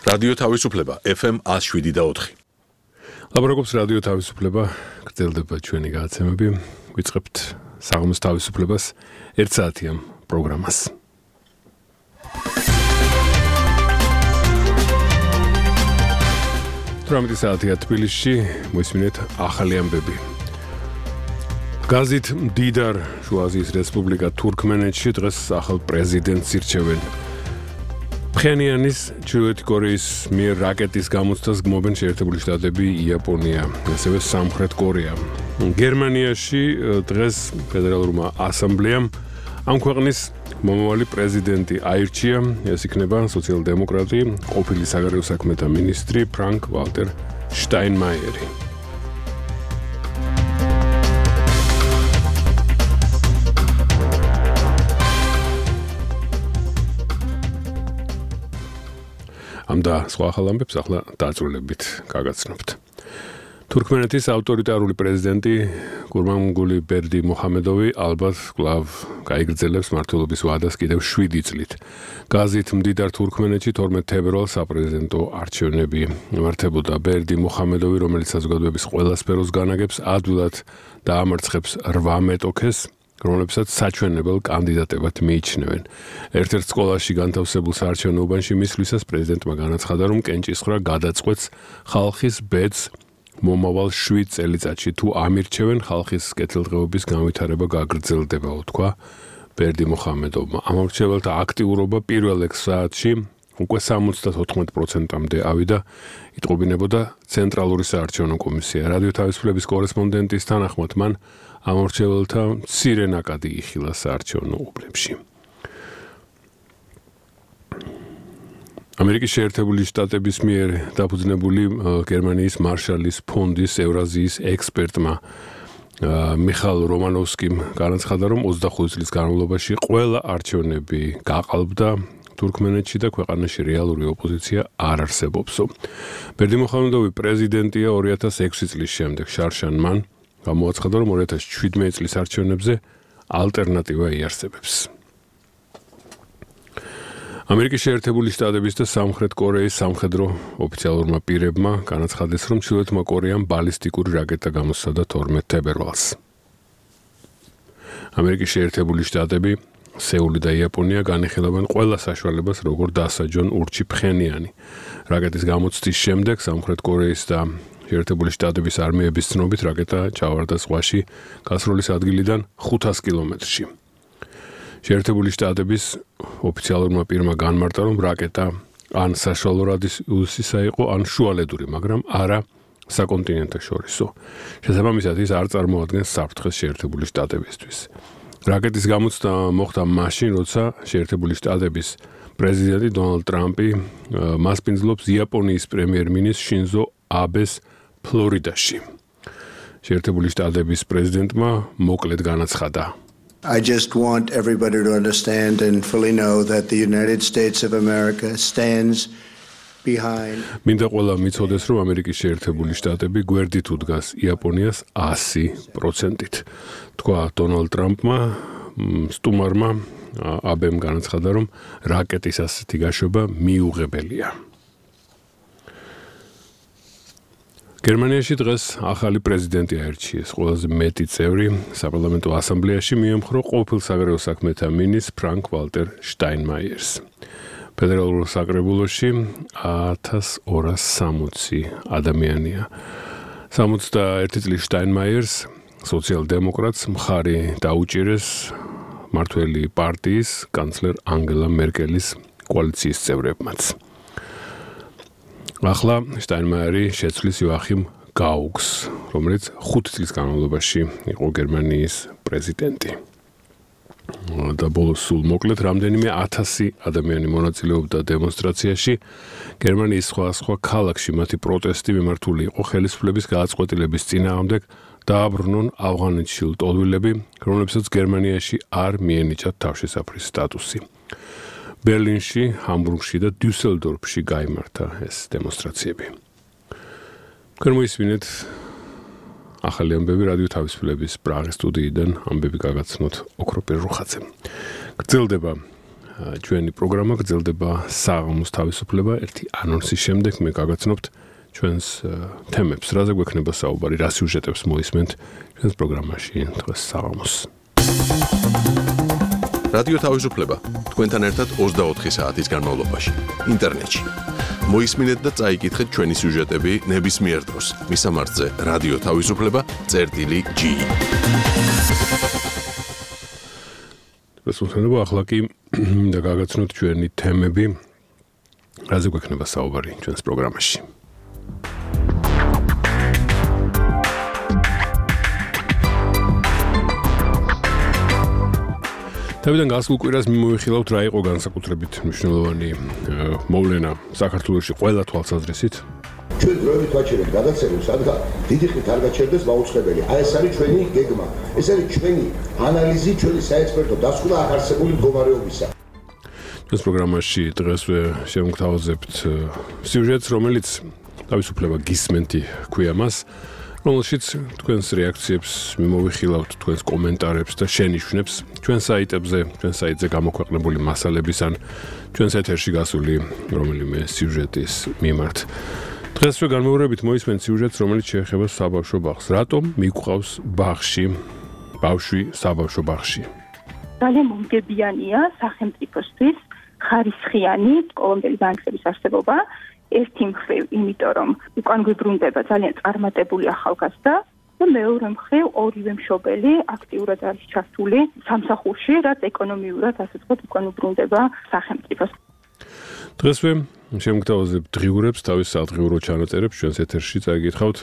რადიო თავისუფლება FM 107.4. ლაპარაკობს რადიო თავისუფლება, გრძელდება ჩვენი გადაცემები. ვიწყებთ საღამოს თავისუფლებას 1 საათიან პროგრამას. თვრამეტი საათია თბილისში, მოისმინეთ ახალი ამბები. გაზით მდიდარ შუა აზიის რესპუბლიკა თურქმენეთში დღეს ახალ პრეზიდენტს ირჩევენ. ფხენიანის ჩრდილოეთი კორეის მიერ რაკეტის გამოცდას გმობენ შეერთებული შტატები, იაპონია, ასევე სამხრეთ კორეა. გერმანიაში დღეს ფედერალურმა ასამბლეამ ამ ქვეყნის მომავალი პრეზიდენტი აირჩია, ეს იქნება სოციალ-დემოკრატი, ყოფილი საგარეო საქმეთა მინისტრი ფრანკ ვალტერ შტაინმაიერი. ამ და სხვა ახალ ამბებს ახლა დაწვრილებით გაგაცნობთ. თურქმენეთის ავტორიტარული პრეზიდენტი გურბანგული ბერდი მუჰამედოვი ალბათ კვლავ გაიგრძელებს მმართველობის ვადას კიდევ 7 წლით. გაზით მდიდარ თურქმენეთში 12 თებერვალს საპრეზიდენტო არჩევნები იმართებოდა. ბერდი მუჰამედოვი, რომელიც საზოგადოების ყველა სფეროს განაგებს, ადვილად დაამარცხებს 8 მეტოქეს, რომლებსაც საჩვენებელ კანდიდატებად მიიჩნევენ. ერთ-ერთ სკოლაში განთავსებულ საარჩევნო უბანში მისვლისას პრეზიდენტმა განაცხადა, რომ კენჭისყრა გადაწყვეტს ხალხის ბედს მომავალ 7 წელიწადში. თუ ამირჩევენ, ხალხის კეთილდღეობის განვითარება გაგრძელდება, უთქვა ბერდი მუჰამედოვმა. ამორჩეველთა აქტიურობა პირველ 6 საათში უკვე 74%-მდე ავიდა, იტყობინებოდა ცენტრალური საარჩევნო კომისია. რადიო თავისუფლების კორესპონდენტის თანახმად მან ამორჩეველთა მცირე ნაკადი იხილა საარჩევნო უბნებში. ამერიკის შეერთებული შტატების მიერ დაფუძნებული გერმანიის მარშალის ფონდის ევრაზიის ექსპერტმა მიხაილ რომანოვსკიმ განაცხადა, რომ 25 წლის განმავლობაში ყველა არჩევნები გაყალბდა თურქმენეთში და ქვეყანაში რეალური ოპოზიცია არ არსებობსო. ბერდი მუჰამედოვი პრეზიდენტია 2006 წლის შემდეგ. შარშან მან გამოაცხადა, რომ 2017 წლის არჩევნებზე ალტერნატივა იარსებებს. ამერიკის შეერთებული შტატების და სამხრეთ კორეის სამხედრო ოფიციალურმა პირებმა განაცხადეს, რომ ჩრდილოეთმა კორეამ ბალისტიკური რაკეტა გამოსცადა 12 თებერვალს. ამერიკის შეერთებული შტატები, სეული და იაპონია განიხილავენ ყველა საშუალებას, როგორ დასაჯონ ურჩი ფხენიანი. რაკეტის გამოცდის შემდეგ სამხრეთ კორეის და შეერთებული შტატების არმიების ცნობით რაკეტა ჩავარდა ზღვაში გასროლის ადგილიდან 500 კილომეტრში. შეერთებული შტატების ოფიციალურმა პირმა განმარტა, რომ რაკეტა ან საშუალო რადიუსისა იყო, ან შუალედური, მაგრამ არა საკონტინენტო შორისო. შესაბამისად ის არ წარმოადგენს საფრთხეს შეერთებული შტატებისთვის. რაკეტის გამოცდა მოხდა მაშინ, როცა შეერთებული შტატების პრეზიდენტი დონალდ ტრამპი მასპინძლობს იაპონიის პრემიერ-მინისტრ შინზო აბეს ფლორიდაში. შეერთებული შტატების პრეზიდენტმა მოკლედ განაცხადა: I just want everybody to understand and fully know that the United States of America stands behind. მინდა ყველა მიცოდეს, რომ ამერიკის შეერთებული შტატები გვერდით უდგას იაპონიას 100%-ით. თქვა დონალდ ტრამპმა, სტუმარმა აბემ განაცხადა, რომ რაკეტის ასეთი გაშვება მიუღებელია. გერმანიაში დღეს ახალი პრეზიდენტი აირჩიეს. ყველაზე მეტი წევრი საპარლამენტო ასამბლეაში მიემხრო ყოფილ საგარეო საქმეთა მინისტრ ფრანკ ვალტერ შტაინმაიერს. ფედერალურ საკრებულოში 1260 ადამიანია. 61 წლის შტაინმაიერს სოციალ-დემოკრატს მხარი დაუჭირეს მმართველი პარტიის კანცლერ ანგელა მერკელის კოალიციის წევრებმაც. ახლა შტაინმაიერი შეცვლის იოახიმ გაუგს, რომელიც 5 წლის განმავლობაში იყო გერმანიის პრეზიდენტი. და ბოლოს სულ მოკლედ რამდენიმე 1000 ადამიანი მონაწილეობდა დემონსტრაციაში. გერმანიის სხვა ქალაქში მათი პროტესტი მიმართული იყო ხელისუფლების გადაწყვეტილების წინააღმდეგ დააბრუნონ ავღანეთში ლტოლვილები, რომლებსაც გერმანიაში არ მიენიჭათ თავშესაფრის სტატუსი. ბერლინში, ჰამბურგში და დიუსელდორფში გაიმართა ეს დემონსტრაციები. მოისმინეთ ახალი ამბები რადიო თავისუფლების პრაღის სტუდიიდან ამბები გაგაცნოთ ოქროპირ რუხაძემ. გრძელდება ჩვენი პროგრამა გრძელდება საღამოს თავისუფლება ერთი ანონსის შემდეგ მე გაგაცნობთ ჩვენს თემებს, რაზე გვექნება საუბარი, რა სიუჟეტებს მოისმენთ ჩვენს პროგრამაში დღეს საღამოს. რადიო თავისუფლება თქვენთან ერთად 24 საათის განმავლობაში ინტერნეტში. მოისმინეთ და წაიკითხეთ ჩვენი სიუჟეტები ნებისმიერ დროს. მისამართზე რადიო თავისუფლება.gi. რასულთანობა ახლა კი მინდა გაგაცნოთ ჩვენი თემები, რაზე გვექნება საუბარი ჩვენს პროგრამაში. თავიდან გასულ კვირას მიმოვიხილავთ რა იყო განსაკუთრებით მნიშვნელოვანი მოვლენა საქართველოში ყველა თვალსაზრისით. ჩვენ დროებით ვაჩერებთ გადაცემებს, რადგან დიდი ხნით არ გაჩერდეს მაუწყებელი. აი ეს არის ჩვენი გეგმა. ეს არის ჩვენი ანალიზი, ჩვენი საექსპერტო დასკვნა აქ არსებული მდგომარეობისა. ეს პროგრამაში დღესვე შევმგთავაზებთ სიუჟეტს, რომელიც თავისუფლება გისმენთი ქვია მას, რომელშიც თქვენს რეაქციებს მიმოვიხილავთ, თქვენს კომენტარებს და შენიშვნებს ჩვენ საიტებზე, ჩვენ საიტზე გამოქვეყნებული მასალების ან ჩვენს ეთერში გასული რომელიმე სიუჟეტის მიმართ. დღესვე განმეორებით მოისმენთ სიუჟეტს, რომელიც შეეხება საბავშვო ბაღს. რატომ მიგვყავს ბავშვი საბავშვო ბაღში? ძალიან მომგებიანია სახელმწიფოსთვის ხარისხიანი სკოლამდელი განათლების არსებობა. ერთი მხრივ, იმიტომ რომ უკან გვიბრუნდება ძალიან წარმატებული ახალგაზრდა და მეორე მხრივ ორივე მშობელი აქტიურად არის ჩართული სამსახურში, რაც ეკონომიურად ასე ვთქვათ უკან უბრუნდება სახელმწიფოს. დღესვე შევმგთავაზებთ დღიურებს თავის სადღიურო ჩანაწერებს ჩვენს ეთერში წაიგითხავთ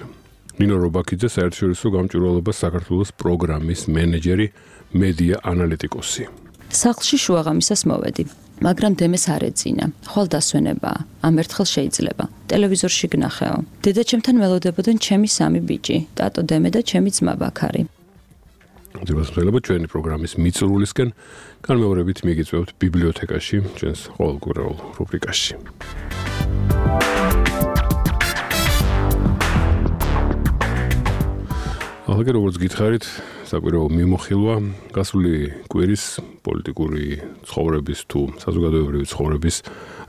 ნინო რობაქიძე, საერთაშორისო გამჭვირვალობა საქართველოს პროგრამის მენეჯერი, მედია ანალიტიკოსი. სახლში შუაღამისას მოვედი, მაგრამ დემეს არ ეძინა. ხვალ დასვენებაა, ამ ერთხელ შეიძლება. ტელევიზორში გნახეო. დედაჩემთან ველოდებოდნენ ჩემი სამი ბიჭი, ტატო დემე და ჩემი ძმა ბაქარი. ძირითადად ჩვენი პროგრამის მიწურულისკენ განმეორებით მიგიწვევთ ბიბლიოთეკაში, ჩვენს ყოველკვირეულ რუბრიკაში. ახლა როგორც გითხარით, საკვირაო მიმოხილვა გასული კვირის პოლიტიკური ცხოვრების თუ საზოგადოებრივი ცხოვრების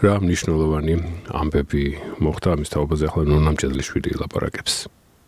რა მნიშვნელოვანი ამბები მოხდა, ამის თაობაზე ახლა ნონა მჭედლიშვილი ელაპარაკებს.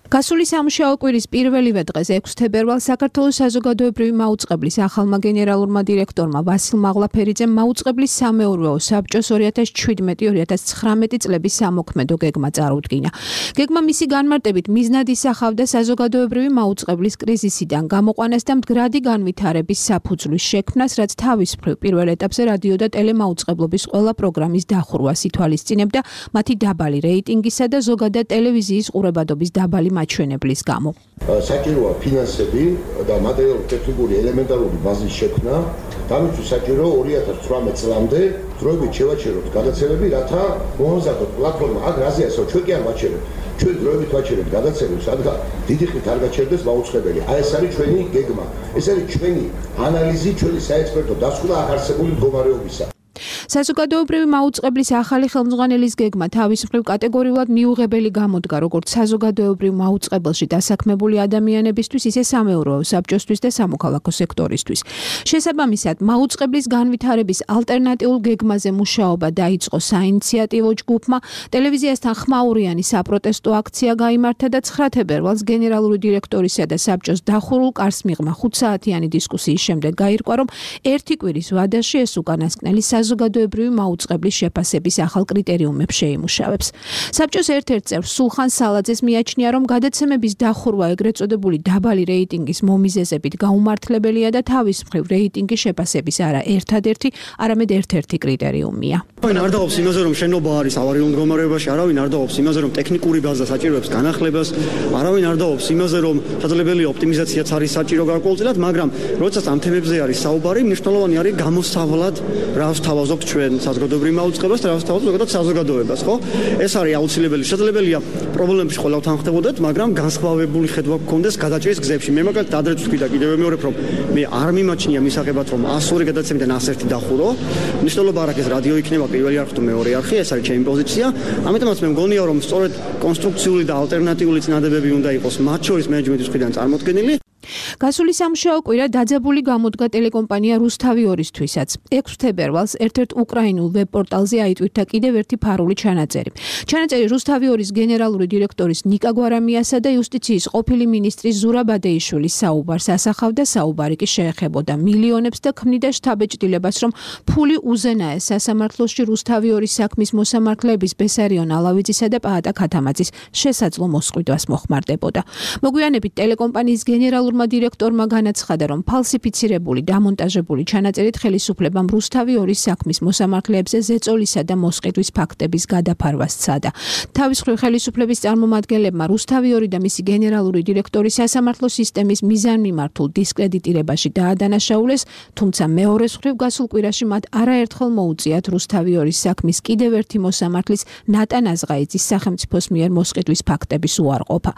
გასული სამუშაო კვირის პირველივე დღეს 6 თებერვალს საქართველოს საზოგადოებრივი მაუწყებლის ახალმა გენერალურმა დირექტორმა ვასილ მაღლაფერიძემ მაუწყებლის სამეურვეო საბჭოს 2017-2019 წლების სამოქმედო გეგმა წარუდგინა. გეგმა მისი განმარტებით მიზნად ისახავდა საზოგადოებრივი მაუწყებლის კრიზისიდან გამოყვანას და მდგრადი განვითარების საფუძვლის შექმნას, რაც თავის მხრივ პირველ ეტაპზე რადიო და ტელემაუწყებლობის ყველა პროგრამის დახურვას ითვალისწინებდა მათი დაბალი რეიტინგისა და ზოგადად ტელევიზიის ყურებადობის დაბალი მაჩვენებლის გამო. საჭიროა ფინანსები და მატერიალურ-ტექნიკური ელემენტარული ბაზის შექმნა. დამიცვი საჭირო 2018 წლამდე დროებით შევაჩეროთ გადაცემები, რათა მოამზადოთ პლატფორმა. აქ რაზე ასო ჩვენ კი არ ვაჩერებთ. ჩვენ დროებით ვაჩერებთ გადაცემებს, რადგან დიდი ხნით არ გაჩერდეს მაუწყებელი. აი ეს არის ჩვენი გეგმა. ეს არის ჩვენი ანალიზი, ჩვენი საექსპერტო დასკვნა აქ არსებული მდგომარეობისა. საზოგადოებრივი მაუწყებლის ახალი ხელმძღვანელის გეგმა თავის მხრივ კატეგორიულად მიუღებელი გამოდგა როგორც საზოგადოებრივ მაუწყებელში დასაქმებული ადამიანებისთვის, ისე სამეურვეო საბჭოსთვის და სამოქალაქო სექტორისთვის. შესაბამისად, მაუწყებლის განვითარების ალტერნატიულ გეგმაზე მუშაობა დაიწყო საინიციატივო ჯგუფმა, ტელევიზიასთან ხმაურიანი საპროტესტო აქცია გაიმართა და 9 თებერვალს გენერალური დირექტორისა და საბჭოს დახურულ კარს მიღმა 5 საათიანი დისკუსიის შემდეგ გაირკვა, რომ ერთი კვირის ვადაში ეს უკანასკნელი საზოგადოებრივი მაუწყებლის შეფასების ახალ კრიტერიუმებს შეიმუშავებს. საბჭოს ერთ-ერთ წევრ სულხან სალაძეს მიაჩნია, რომ გადაცემების დახურვა ეგრეთ წოდებული დაბალი რეიტინგის მომიზეზებით გაუმართლებელია და თავის მხრივ რეიტინგის შეფასების არა ერთადერთი, არამედ ერთ-ერთი კრიტერიუმია. არავინ არ დაობს იმაზე, რომ შენობა არის ავარიულ მდგომარეობაში, არავინ არ დაობს იმაზე, რომ ტექნიკური ბაზა საჭიროებს განახლებას, არავინ არ დაობს იმაზე, რომ შესაძლებელია ოპტიმიზაციაც არის საჭირო გარკვეულწილად, მაგრამ როდესაც ამ თემებზე არის საუბარი, მნიშვნელოვანი არის გამოსავლად რა ვსთავაზობთ ჩვენ საზოგადოებრივ მაუწყებლობას და რა ვსთავაზობთ ზოგადად საზოგადოებას, ხო? ეს არის აუცილებელი. შესაძლებელია პრობლემებში ყველა თან ხდებოდეთ, მაგრამ განსხვავებული ხედვა გქონდეს გადაჭრის გზებში. მე მაგალითად ადრეც ვთქვი და კიდევ მეორებ, რომ მე არ მიმაჩნია მისაღებად, რომ 102 გადაცემიდან 101 დახურო. მნიშვნელობა არ აქვს რადიო იქნება პირველი არხი თუ მეორე არხი, ეს არის ჩემი პოზიცია. ამიტომაც მე მგონია, რომ სწორედ კონსტრუქციული და ალტერნატიული წინადებები უნდა იყოს მათ შორის მენეჯმენტის მხრიდან წარმოქმნილი. გასული სამუშაო კვირა დაძაბული გამოდგა ტელეკომპანია რუსთავი 2-ისთვისაც. 6 თებერვალს ერთ-ერთ უკრაინულ ვებ-პორტალზე აიტვირთა კიდევ ერთი ფარული ჩანაწერი. ჩანაწერი რუსთავი 2-ის გენერალური დირექტორის ნიკა გვარამიასა და იუსტიციის ყოფილი მინისტრის ზურაბ ადეიშვილის საუბარს ასახავდა. საუბარი კი შეეხებოდა მილიონებს და ქმნიდა შთაბეჭდილებას, რომ ფული უზენაეს სასამართლოში რუსთავი 2-ის საქმის მოსამართლეების ბესარიონ ალავიძისა და პაატა ქათამაძის შესაძლო მოსყიდვას მოხმარდებოდა. მოგვიანებით ტელეკომპანიის გენერალურმა დირექტორმა განაცხადა, რომ ფალსიფიცირებული დამონტაჟებული ჩანაწერით ხელისუფლებამ რუსთავი 2-ის საქმის მოსამართლეებზე ზეწოლისა და მოსყიდვის ფაქტების გადაფარვას სცადა. თავის მხრივ ხელისუფლების წარმომადგენლებმა რუსთავი 2 და მისი გენერალური დირექტორი სასამართლო სისტემის მიზანმიმართულ დისკრედიტირებაში დაადანაშაულეს, თუმცა მეორეს მხრივ გასულ კვირაში მათ არაერთხელ მოუწიათ რუსთავი 2-ის საქმის კიდევ ერთი მოსამართლის ნატან აზღაიძის სახელმწიფოს მიერ მოსყიდვის ფაქტების უარყოფა.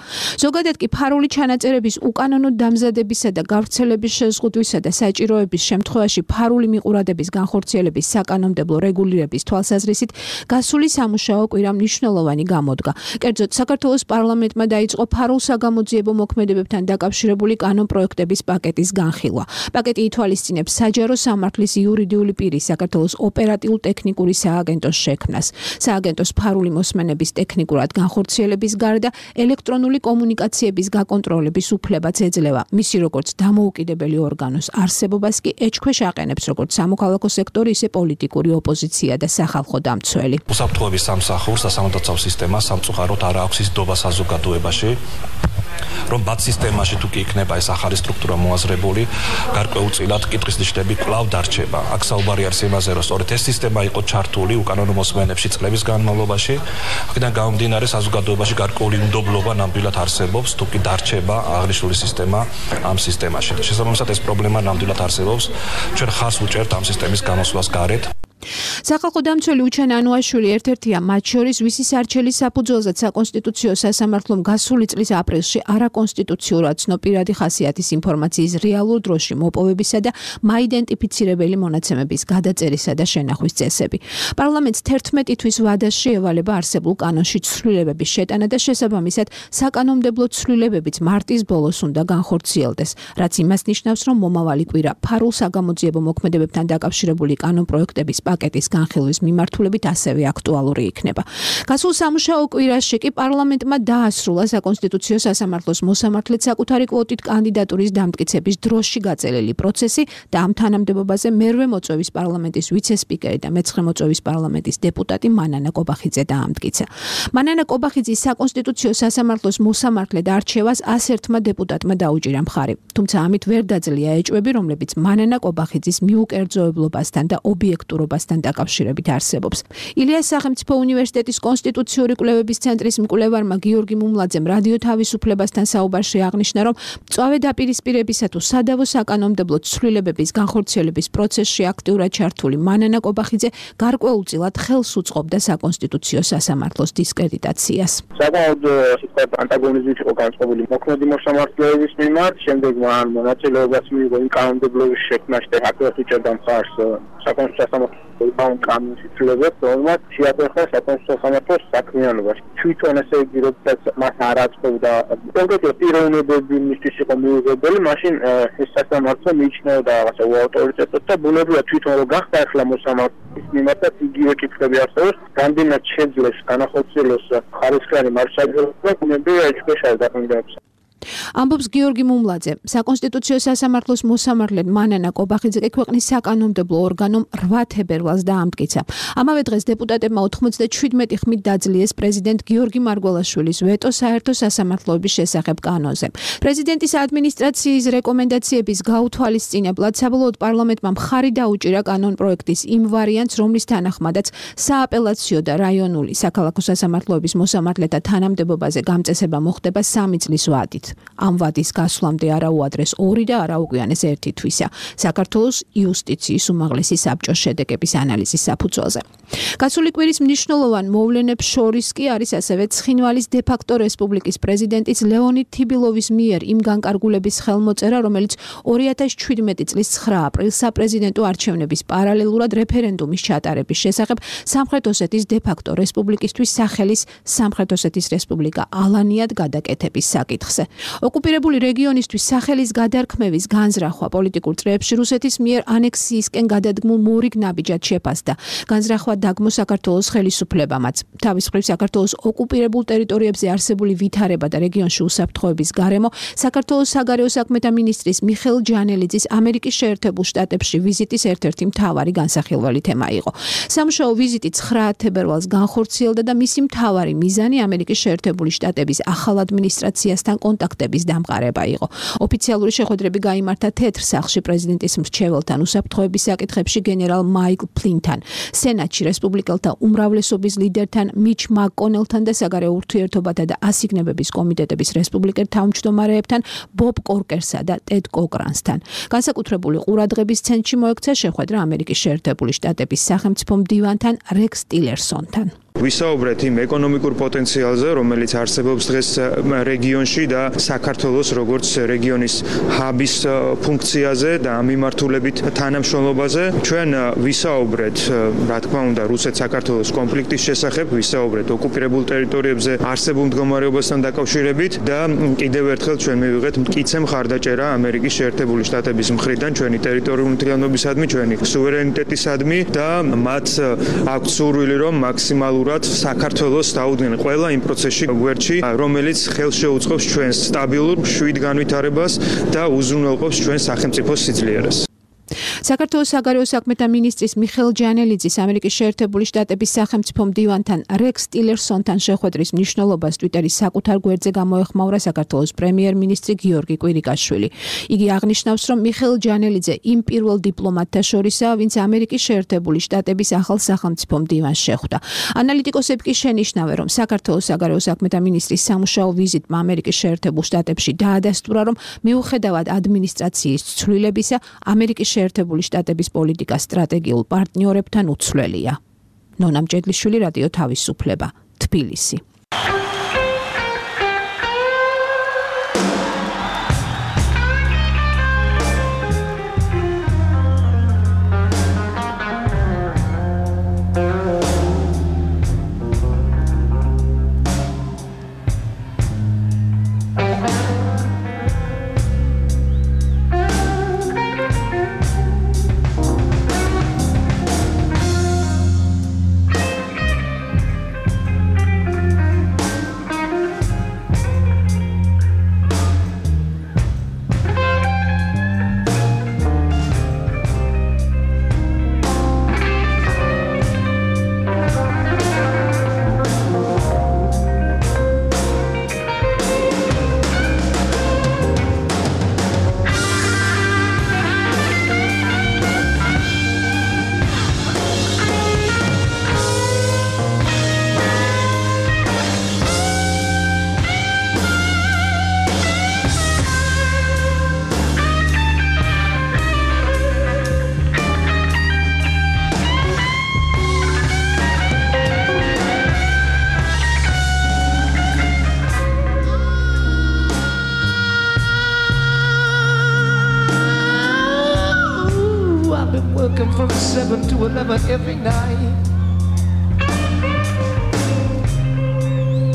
ზოგადად კი ფარული ჩანაწერების უკანონო დამზადებისა და გავრცელების შეზღუდვისა და საჭიროების შემთხვევაში ფარული მიყურადების განხორციელების საკანონმდებლო რეგულირების თვალსაზრისით გასული სამუშაო კვირა მნიშვნელოვანი გამოდგა. კერძოდ, საქართველოს პარლამენტმა დაიწყო ფარულ საგამოძიებო მოქმედებებთან დაკავშირებული კანონპროექტების პაკეტის განხილვა. პაკეტი ითვალისწინებს საჯარო სამართლის იურიდიული პირის საქართველოს ოპერატიულ-ტექნიკური სააგენტოს შექმნას. სააგენტოს ფარული მოსმენების ტექნიკურად განხორციელების გარდა ელექტრონული კომუნიკაციების გაკონტროლების უფლებაც ეძლევა. მისი როგორც დამოუკიდებელი ორგანოს არსებობას კი ეჭქვეშ აყენებს როგორც სამოქალაქო სექტორი, ისე პოლიტიკური ოპოზიცია და სახალხო დამცველი. უსაფრთხოების სამსახურს სასამართლო სისტემა სამწუხაროდ არ აქვს ის დობა საზოგადოებაში, რომ ბათ სისტემაში თუ კი იქნება ეს ახალი სტრუქტურა მოაზრებული, გარკვეულწილად კითხვის ნიშნები კვლავ დარჩება. აქ საუბარი არის იმაზე, რომ სწორედ ეს სისტემა იყო ჩართული უკანონო მოსმენებში წლების განმავლობაში. აქედან გამომდინარე საზოგადოებაში გარკვეული უნდობლობა ნამდვილად არსებობს, თუ კი დარჩება აღნიშნული სისტემა ამ სისტემაში. შესაბამისად ეს პრობლემა ნამდვილად არსებობს. ჩვენ ხარს ვუჭერთ ამ სისტემის გამოსვლას გარეთ. სახალხო დამცველი უჩენ ანუაშვილი ერთ-ერთია მათ შორის, ვისი სარჩელის საფუძველზეც საკონსტიტუციო სასამართლომ გასული წლის აპრილში არაკონსტიტუციურად ცნობპირადი ხასიათის ინფორმაციის რეალურ დროში მოპოვებისა და მაიდენტიფიცირებელი მონაცემების გადაწერისა და შენახვის წესები. პარლამენტს 11 თვის ვადაში ევალება არსებულ კანონში ცვლილებების შეტანა და შესაბამისად საკანონმდებლო ცვლილებებიც მარტის ბოლოს უნდა განხორციელდეს, რაც იმას ნიშნავს, რომ მომავალი კვირა ფარულ საგამოძიებო მოქმედებებთან დაკავშირებული კანონპროექტების პაკეტის განხილვის მიმართულებით ასევე აქტუალური იქნება. გასულ სამუშაო კვირაში კი პარლამენტმა დაასრულა საკონსტიტუციო სასამართლოს მოსამართლედ საკუთარი კვოტით კანდიდატურის დამტკიცების დროში გაწელილი პროცესი და ამ თანამდებობაზე მერვე მოწვევის პარლამენტის ვიცე-სპიკერი და მეცხრე მოწვევის პარლამენტის დეპუტატი მანანა კობახიძე დაამტკიცა. მანანა კობახიძის საკონსტიტუციო სასამართლოს მოსამართლედ არჩევას 101-მა დეპუტატმა დაუჭირა მხარი. თუმცა ამით ვერ დაძლია ეჭვები, რომლებიც მანანა კობახიძის მიუკერძოებლობასთან და ობიექტურობასთან დაკავშირებით არსებობს. ილიას სახელმწიფო უნივერსიტეტის კონსტიტუციური კვლევების ცენტრის მკვლევარმა გიორგი მუმლაძემ რადიო თავისუფლებასთან საუბარში აღნიშნა, რომ მწვავე დაპირისპირებისა თუ სადავო საკანონმდებლო ცვლილებების განხორციელების პროცესში აქტიურად ჩართული მანანა კობახიძე გარკვეულწილად ხელს უწყობდა საკონსტიტუციო სასამართლოს დისკრედიტაციას. საკმაოდ ანტაგონიზმით იყო განწყობილი მოქმედი მოსამართლეების მიმართ, შემდეგ მან მონაწილეობას მიიღო იმ კანონმდებლობის შექმნაში და აქტიურად უჭერდა მხარს საკონსტიტუციო სასამართლოს კანონის ცვლილებებს, რომელმაც შეაფერხა საკონსტიტუციო სასამართლოს საქმიანობაში. თვითონ ესე იგი, როდესაც მას არ აწყობდა კონკრეტულად პიროვნებები მისთვის იყო მიუღებელი, მაშინ ეს სასამართლო მიიჩნეოდა რაღაცა უავტორიტეტად და ბუნებრივად თვითონ რომ გახდა ახლა მოსამართლის მიმართაც იგივე კითხვები არსებობს, გამდენად შეძლეს განახორციელოს ხარისხიანი მარშალიობა და ბუნებრივად ეჭქვეშ არ დაყენებს. ამბობს გიორგი მუმლაძე. საკონსტიტუციო სასამართლოს მოსამართლედ მანანა კობახიძე ქვეყნის საკანონმდებლო ორგანომ 8 თებერვალს დაამტკიცა. ამავე დღეს დეპუტატებმა 97 ხმით დაძლიეს პრეზიდენტ გიორგი მარგველაშვილის ვეტო საერთო სასამართლოების შესახებ კანონზე. პრეზიდენტის ადმინისტრაციის რეკომენდაციების გაუთვალისწინებლად საბოლოოდ პარლამენტმა მხარი დაუჭირა კანონპროექტის იმ ვარიანტს, რომლის თანახმადაც სააპელაციო და რაიონული საქალაქო სასამართლოების მოსამართლეთა თანამდებობაზე გამწესება მოხდება 3 წლის ვადით. ამ ვადის გასვლამდე არა უადრეს 2 და არა უგვიანეს 1 თვისა საქართველოს იუსტიციის უმაღლესი საბჭოს შედეგების ანალიზის საფუძველზე. გასული კვირის მნიშვნელოვან მოვლენებს შორის კი არის ასევე ცხინვალის დე-ფაქტო რესპუბლიკის პრეზიდენტის ლეონიდ თიბილოვის მიერ იმ განკარგულების ხელმოწერა, რომელიც 2017 წლის 9 აპრილს საპრეზიდენტო არჩევნების პარალელურად რეფერენდუმის ჩატარების შესახებ სამხრეთ ოსეთის დე-ფაქტო რესპუბლიკისთვის სახელის სამხრეთ ოსეთის რესპუბლიკა ალანიად გადაკეთების საკითხზე. ოკუპირებული რეგიონისთვის სახელის გადარქმევის განზრახვა პოლიტიკურ წრეებში რუსეთის მიერ ანექსიისკენ გადადგმულ მორიგ ნაბიჯად შეფასდა. განზრახვა დაგმო საქართველოს ხელისუფლებამაც. თავის მხრივ საქართველოს ოკუპირებულ ტერიტორიებზე არსებული ვითარება და რეგიონში უსაფრთხოების გარემო საქართველოს საგარეო საქმეთა მინისტრის მიხეილ ჯანელიძის ამერიკის შეერთებულ შტატებში ვიზიტის ერთ-ერთი მთავარი განსახილველი თემა იყო. სამუშაო ვიზიტი 9 თებერვალს განხორციელდა და მისი მთავარი მიზანი ამერიკის შეერთებული შტატების ახალ ადმინისტრაციასთან კონტაქტების დამყარება იყო. ოფიციალური შეხვედრები გაიმართა თეთრ სახლში პრეზიდენტის მრჩეველთან უსაფრთხოების საკითხებში გენერალ მაიკლ ფლინთან, სენატში რესპუბლიკელთა უმრავლესობის ლიდერთან მიჩ მაკკონელთან და საგარეო ურთიერთობათა და ასიგნებების კომიტეტების რესპუბლიკელ თავმჯდომარეებთან ბობ კორკერსა და ტედ კოკრანსთან. განსაკუთრებული ყურადღების ცენტრში მოექცა შეხვედრა ამერიკის შეერთებული შტატების სახელმწიფო მდივანთან რექს ტილერსონთან. ვისაუბრეთ იმ ეკონომიკურ პოტენციალზე, რომელიც არსებობს დღეს რეგიონში და საქართველოს როგორც რეგიონის ჰაბის ფუნქციაზე და ამ მიმართულებით თანამშრომლობაზე. ჩვენ ვისაუბრეთ, რა თქმა უნდა, რუსეთ-საქართველოს კონფლიქტის შესახებ, ვისაუბრეთ ოკუპირებულ ტერიტორიებზე არსებულ მდგომარეობასთან დაკავშირებით და კიდევ ერთხელ ჩვენ მივიღეთ მტკიცე მხარდაჭერა ამერიკის შეერთებული შტატების მხრიდან ჩვენი ტერიტორიული მთლიანობისადმი, ჩვენი სუვერენიტეტისადმი და მათ აქვთ სურვილი, რომ მაქსიმალურად საქართველოს დაუდგნენ ყველა იმ პროცესში გვერდში, რომელიც ხელს შეუწყობს ჩვენს სტაბილურ მშვიდ განვითარებას და უზრუნველყოფს ჩვენს სახელმწიფოს სიძლიერეს. საქართველოს საგარეო საქმეთა მინისტრის მიხეილ ჯანელიძის ამერიკის შეერთებული შტატების სახელმწიფო მდივანთან რექს ტილერსონთან შეხვედრის მნიშვნელობას ტვიტერის საკუთარ გვერდზე გამოეხმაურა საქართველოს პრემიერ-მინისტრი გიორგი კვირიკაშვილი. იგი აღნიშნავს, რომ მიხეილ ჯანელიძე იმ პირველ დიპლომატთა შორისაა, ვინც ამერიკის შეერთებული შტატების ახალ სახელმწიფო მდივანს შეხვდა. ანალიტიკოსები კი შენიშნავენ, რომ საქართველოს საგარეო საქმეთა მინისტრის სამუშაო ვიზიტმა ამერიკის შეერთებულ შტატებში დაადასტურა, რომ მიუხედავად ადმინისტრაციის ცვლილებისა, ამერიკის შეერთებული შტატების პოლიტიკა სტრატეგიულ პარტნიორებთან უცვლელია. ნონა მჭედლიშვილი, რადიო თავისუფლება, თბილისი. Working from 7 to 11 every night.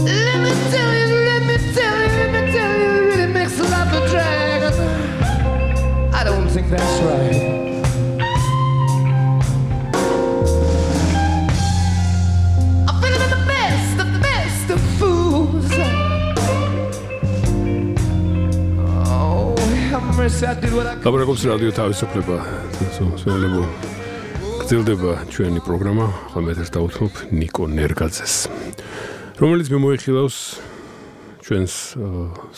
Let me tell you, it really makes life a drag. I don't think that's right. I'm feeling the best of fools. Oh, have mercy, I did what I could. ლაპარაკობს რადიო თავისუფლება. სულელო გრძელდება ჩვენი პროგრამა, ახლა მე ეს დავუთმობ ნიკო ნერგაძეს, რომელიც მიმოიხილავს ჩვენს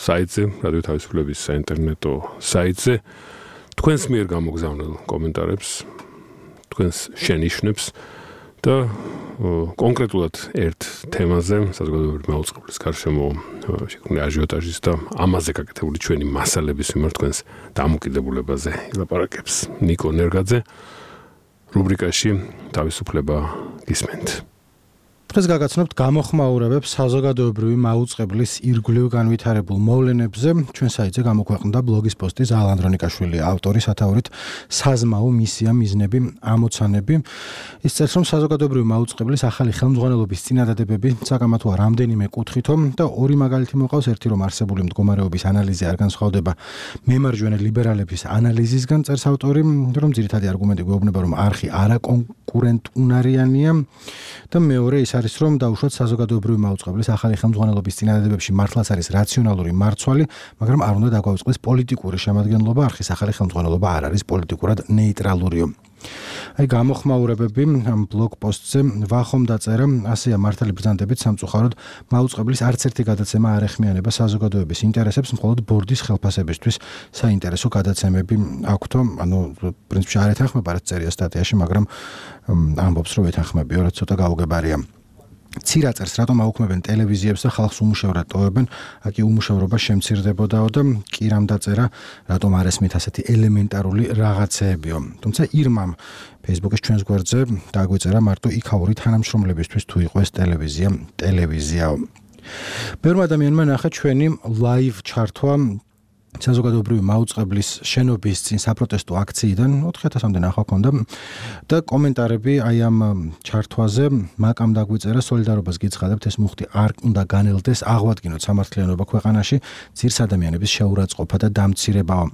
საიტზე, რადიო თავისუფლების საინტერნეტო საიტზე, თქვენს მიერ გამოგზავნილ კომენტარებს, თქვენს შენიშვნებს და კონკრეტულად ერთ თემაზე, საზოგადოებრივი მაუწყებლის გარშემო შექმნილი აჟიოტაჟის და ამაზე გაკეთებული ჩვენი მასალების მიმართ თქვენს დამოკიდებულებაზე ილაპარაკებს ნიკო ნერგაძე რუბრიკაში თავისუფლება გისმენთ. დღეს გაგაცნობთ გამოხმაურებებს საზოგადოებრივი მაუწყებლის ირგვლივ განვითარებულ მოვლენებზე. ჩვენ საიტზე გამოქვეყნდა ბლოგის პოსტი ზაალ ანდრონიკაშვილი ავტორის სათაურით საზმაო მისია მიზნები ამოცანები. ის წერს, რომ საზოგადოებრივი მაუწყებლის ახალი ხელმძღვანელობის წინადადებები საკამათოა რამდენიმე კუთხითო და ორი მაგალითი მოყავს. ერთი, რომ არსებული მდგომარეობის ანალიზი არ განსხვავდება მემარჯვენე ლიბერალების ანალიზისგან, წერს ავტორი, რომ ძირითადი არგუმენტი გვეუბნება, რომ არხი არაკონკურენტუნარიანია და მეორე ის არის, რომ დაუშვათ საზოგადოებრივი მაუწყებლის ახალი ხელმძღვანელობის წინადადებებში მართლაც არის რაციონალური მარცვალი, მაგრამ არ უნდა დაგვაუწყდეს პოლიტიკური შემადგენლობა, არხის ახალი ხელმძღვანელობა არ არის პოლიტიკურად ნეიტრალურიო. აი გამოხმაურებები ამ ბლოგ პოსტზე ვახომ დაწერა, ასეა მართალი ბრძანდებით სამწუხაროდ მაუწყებლის არც ერთი გადაცემა არ ეხმიანება საზოგადოების ინტერესებს, მხოლოდ ბორდის ხელფასებისთვის საინტერესო გადაცემები აქვთო, ანუ პრინციპში არ ეთანხმება რაც წერია სტატიაში, მაგრამ ამბობს რომ ეთანხმებიო, რაც ცოტა გაუგებარია. ცირა წერს, რატომ აუქმებენ ტელევიზიებს და ხალხს უმუშევრად ტოვებენ, აქ უმუშევრობა შემცირდებოდაო და კირამ დაწერა, რატომ არ ესმით ასეთი ელემენტარული რაღაცეებიო. თუმცა ირმამ Facebook-ის ჩვენს გვერდზე დაგვეწერა მარტო იქაური თანამშრომლებისთვის თუ იყო ეს ტელევიზიაო. ბევრმა ადამიანმა ნახა ჩვენი live ჩართვა საზოგადოებრივი მაუწყებლის შენობის წინ საპროტესტო აქციიდან 4000-მდე ნახვა ჰქონდა და კომენტარები აი ამ ჩართვაზე მაკამ დაგვიწერა, სოლიდარობას გიცხადებთ, ეს მუხტი არ უნდა განელდეს, აღვადგინოთ სამართლიანობა ქვეყანაში, ძირს ადამიანების შეურაცხყოფა და დამცირებაა.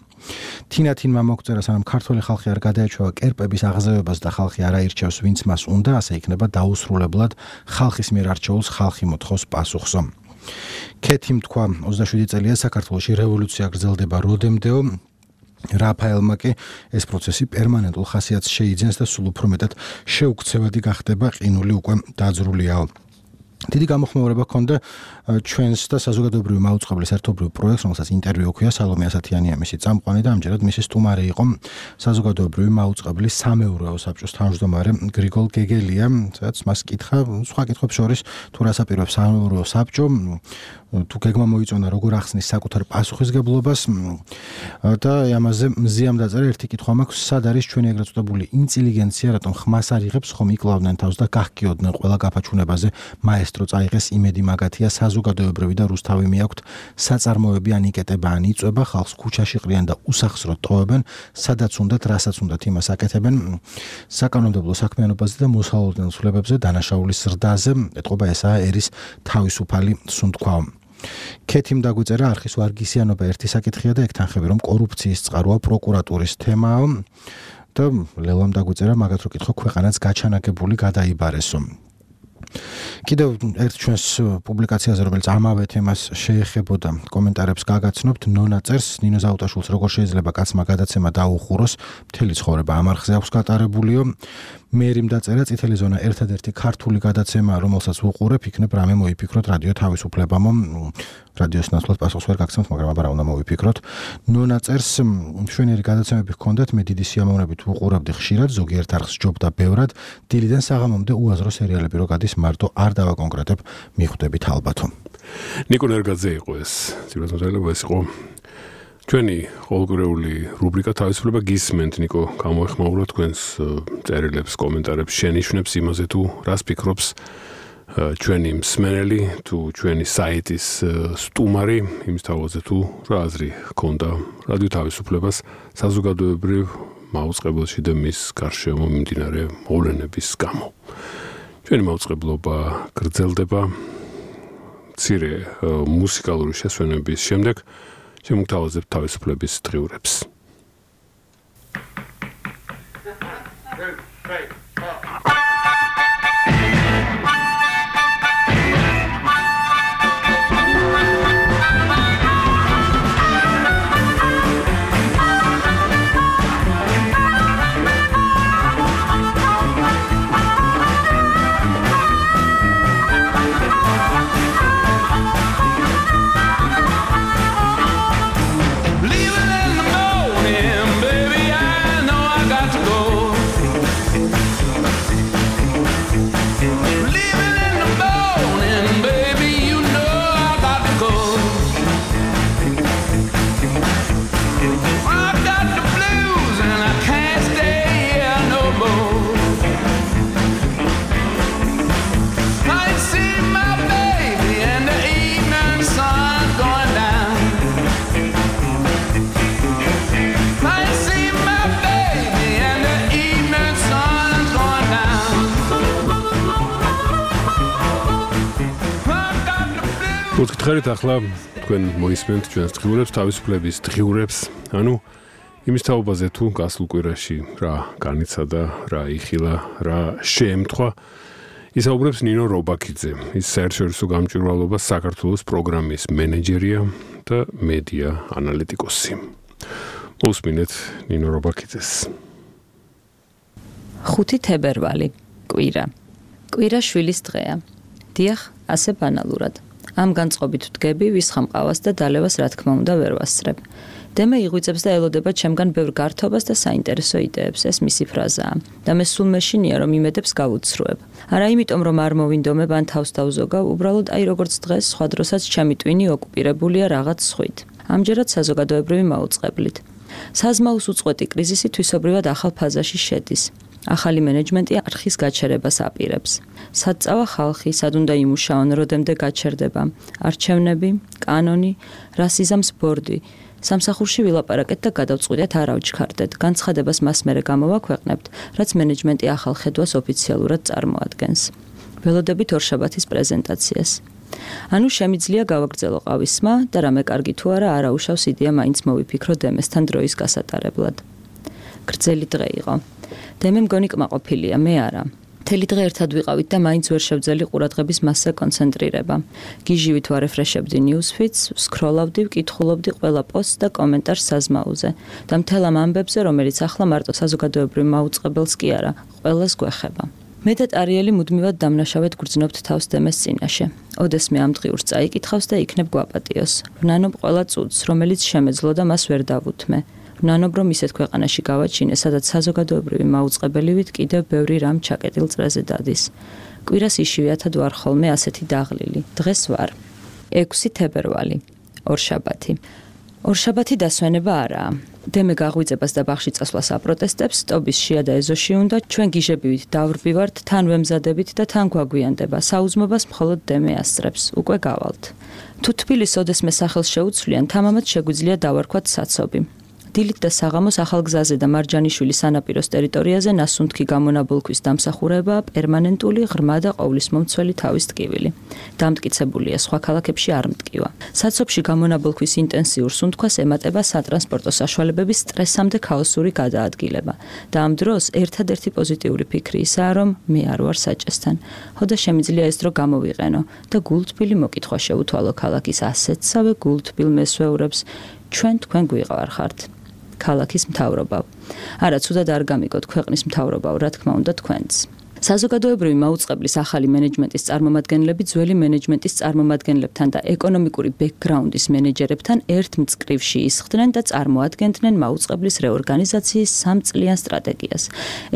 თინათინმა მოგწერა, სანამ ქართველი ხალხი არ გადაეჩვევა კერპების აღზევებას და ხალხი არ აირჩევს, ვინც მას უნდა, ასე იქნება დაუსრულებლად ხალხის მიერ არჩეულს ხალხი მოთხოვს პასუხსო. კეთიმ თქვა 27 წელია საქართველოში რევოლუცია გრძელდება როდემდეო. რაფაელმა კი ეს პროცესი პერმანენტულ ხასიათს შეიძენს და სულ უფრო მეტად შეუქცევადი გახდება, ყინული უკვე დაძრულიაო. დიდი გამოხმაურება ჰქონდა ჩვენს და საზოგადოებრივი მაუწყებლის ერთობლივ პროექტს, რომელსაც ინტერვიუ ჰქვია, სალომე ასათიანია მისი წამყვანი და ამჯერად მისი სტუმარი იყო საზოგადოებრივი მაუწყებლის სამეურვეო საბჭოს თავმჯდომარე გრიგოლ გეგელია, სადაც მას კითხა სხვა კითხვებს შორის, თუ რას აპირებს სამეურვეო საბჭო, თუ გეგმა მოიწონა როგორ ახსნის საკუთარ პასუხისგებლობას და ამაზე მზიამ დაწერა ერთი კითხვა მაქვს, სად არის ჩვენი ეგრეთ წოდებული ინტელიგენცია, რატომ ხმას არ იღებს, ხომ იკლავდნენ თავს და გახკიოდნენ ყველა გაფაჩუნებაზე, მაესტრო წაიღეს, იმედი მაგათია, საზოგადოებრივი და რუსთავი მიაქვთ, საწარმოები ან იკეტება ან იწვება, ხალხს ქუჩაში ყრიან და უსახსროდ ტოვებენ, სადაც უნდათ, რასაც უნდათ, იმას აკეთებენ, საკანონმდებლო საქმიანობაზე და მოსალოდნელ ცვლილებებზე, დანაშაულის ზრდაზე, ეტყობა ესაა ერის თავისუფალი სუნთქვა. კეთიმ დაგვიწერა, არხის ვარგისიანობა ერთი საკითხია და ეკთანხები, რომ კორუფციის წყაროა პროკურატურის თემაო და ლელამ დაგვიწერა, მაგათ რო კითხო, ქვეყანაც გაჩანაკებული გადაიბარესო. კიდევ ერთ ჩვენს პუბლიკაციაზე, რომელიც ამავე თემას შეეხებოდა, კომენტარებს გაგაცნობთ, ნონა წერს, ნინო ზაუტაშვილს როგორ შეიძლება კაცმა გადაცემა დაუხუროს, მთელი ცხოვრება ამ არხზე აქვს გატარებულიო. მერიმ დაწერა, წითელი ზონა ერთადერთი ქართული გადაცემა, რომელსაც ვუყურებ, იქნებ რამე მოიფიქროთ რადიო თავისუფლებამო. რადიოს ნაცვლად პასუხს ვერ გაგცემთ, მაგრამ აბა რა უნდა მოვიფიქროთ. ნონა წერს, მშვენიერი გადაცემები ჰქონდათ, მე დიდი სიამოვნებით ვუყურებდი ხშირად, ზოგიერთ არხს ჯობდა ბევრად, დილიდან საღამომდე უაზრო სერიალები რო გადის, მარტო არ დავაკონკრეტებ, მიხვდებით ალბათო. ნიკო ნერგაძე იყო ეს, ძირითადად ეს იყო ჩვენი ყოველკვირეული რუბრიკა თავისუფლება გისმენთ, ნიკო, გამოეხმაურა თქვენს წერილებს, კომენტარებს, შენიშვნებს იმაზე თუ რას ფიქრობს ჩვენი მსმენელი, თუ ჩვენი საიტის სტუმარი, იმის თავზე თუ რა აზრი ჰქონდა რადიო თავისუფლებას საზოგადოებრივ მაუწყებელში და მის გარშემო მიმდინარე მოვლენების გამო. ჩვენი მაუწყებლობა გრძელდება მცირე მუსიკალური შესვენების შემდეგ შემოგთავაზებთ თავისუფლების დღიურებს. მოგკითხეთ ახლა თქვენ მოისმენთ ჩვენს დღიურებს, თავისუფლების დღიურებს, ანუ იმის თაობაზე თუ გასულ კვირაში რა განიცადა, რა იხილა, რა შეემთხვა. ისაუბრებს ნინო რობაქიძე, ის საერთაშორისო გამჭვირვალობას საქართველოს პროგრამის მენეჯერია და მედია ანალიტიკოსი. მოსმინეთ ნინო რობაქიძეს. 5 თებერვალი, კვირა. კვირა შვილის დღეა. დიახ, ასე ბანალურად. ამ განწყობით ვდგები, ვისხამ ყავას და დალევას რა თქმა უნდა ვერ ვასწრებ. დემა იღვიწებს და ელოდება ჩემგან ბევრ გართობას და საინტერესო იდეებს, ეს მისი ფრაზაა. და მე სულ მეშინია რომ იმედებს გავუცრუებ. არა იმიტომ რომ არ მოვინდომებ ან თავს დავზოგავ, უბრალოდ აი როგორც დღეს, სხვა დროსაც ჩემი ტვინი ოკუპირებულია რაღაც სხვით. ამჯერად საზოგადოებრივი მაუწყებლით. საზმაუს უწყვეტი კრიზისი თვისობრივად ახალ ფაზაში შედის. ახალი მენეჯმენტი არხის გაჩერებას აპირებს. სად წავა ხალხი, სად უნდა იმუშაონ, როდემდე გაჩერდება. არჩევნები, კანონი, რას იზამს ბორდი. სამსახურში ვილაპარაკეთ და გადავწყვიტეთ არ ავჩქარდეთ. განცხადებას მას მერე გამოვაქვეყნებთ, რაც მენეჯმენტი ახალ ხედვას ოფიციალურად წარმოადგენს. ველოდებით ორშაბათის პრეზენტაციას. ანუ შემიძლია გავაგრძელო ყავისმა და რამე კარგი თუ არა არაუშავს იდეა მაინც მოვიფიქრო დემესთან დროის გასატარებლად. გრძელი დღე იყო. დემე მგონი კმაყოფილია, მე არა. მთელი დღე ერთად ვიყავით და მაინც ვერ შევძელი ყურადღების მასზე კონცენტრირება. გიჟივით ვარეფრეშებდი ნიუსფიდს, სკროლავდი, ვკითხულობდი ყველა პოსტს და კომენტარს საზმაუზე და მთელ ამ ამბებზე, რომელიც ახლა მარტო საზოგადოებრივ მაუწყებელს კი არა, ყველას გვეხება. მე და ტარიელი მუდმივად დამნაშავედ გრძნობთ თავს დემეს წინაშე. ოდესმე ამ დღიურს წაიკითხავს და იქნებ გვაპატიოს. ვნანობ ყველა წუთს, რომელიც შემეძლო და მას ვერ დავუთმე. ვნანობ რომ ისეთ ქვეყანაში გავაჩინე, სადაც საზოგადოებრივი მაუწყებელივით კიდევ ბევრი რამ ჩაკეტილ წრეზე დადის. კვირას იშვიათად ვარ ხოლმე ასეთი დაღლილი. დღეს ვარ 6 თებერვალი, ორშაბათი. ორშაბათი დასვენება არაა. დემე გაღვიძებას და ბაღში წასვლას აპროტესტებს, ტობის შია და ეზოში უნდა, ჩვენ გიჟებივით დავრბივართ, თან ვემზადებით და თან გვაგვიანდება. საუზმობას მხოლოდ დემე ასწრებს, უკვე გავალთ. თუ თბილისს ოდესმე სახელს შეუცვლიან, თამამად შეგვიძლია დავარქვათ საცობი. დილით და საღამოს ახალ გზაზე და მარჯანიშვილის სანაპიროს ტერიტორიაზე ნასუნთქი გამონაბოლქვის დამსახურებაა პერმანენტული, ღრმა და ყოვლისმომცველი თავის ტკივილი. დამტკიცებულია, სხვა ქალაქებში არ მტკივა. საცობში გამონაბოლქვის ინტენსიურ სუნთქვას ემატება სატრანსპორტო საშუალებების სტრესამდე ქაოსური გადაადგილება. და ამ დროს ერთადერთი პოზიტიური ფიქრი ისაა, რომ მე არ ვარ საჭესთან. ხოდა შემიძლია ეს დრო გამოვიყენო და გულთბილი მოკითხვა შეუთვალო ქალაქის ასეთსავე გულთბილ მესვეურებს, ჩვენ თქვენ გვიყავარხართ. ქალაქის მთავრობავ. არა, ცუდად არ გამიგოთ, ქვეყნის მთავრობავ, რა თქმა უნდა თქვენც. საზოგადოებრივი მაუწყებლის ახალი მენეჯმენტის წარმომადგენლები ძველი მენეჯმენტის წარმომადგენლებთან და ეკონომიკური ბექგრაუნდის მენეჯერებთან ერთ მწკრივში ისხდნენ და წარმოადგენდნენ მაუწყებლის რეორგანიზაციის 3 წლიან სტრატეგიას.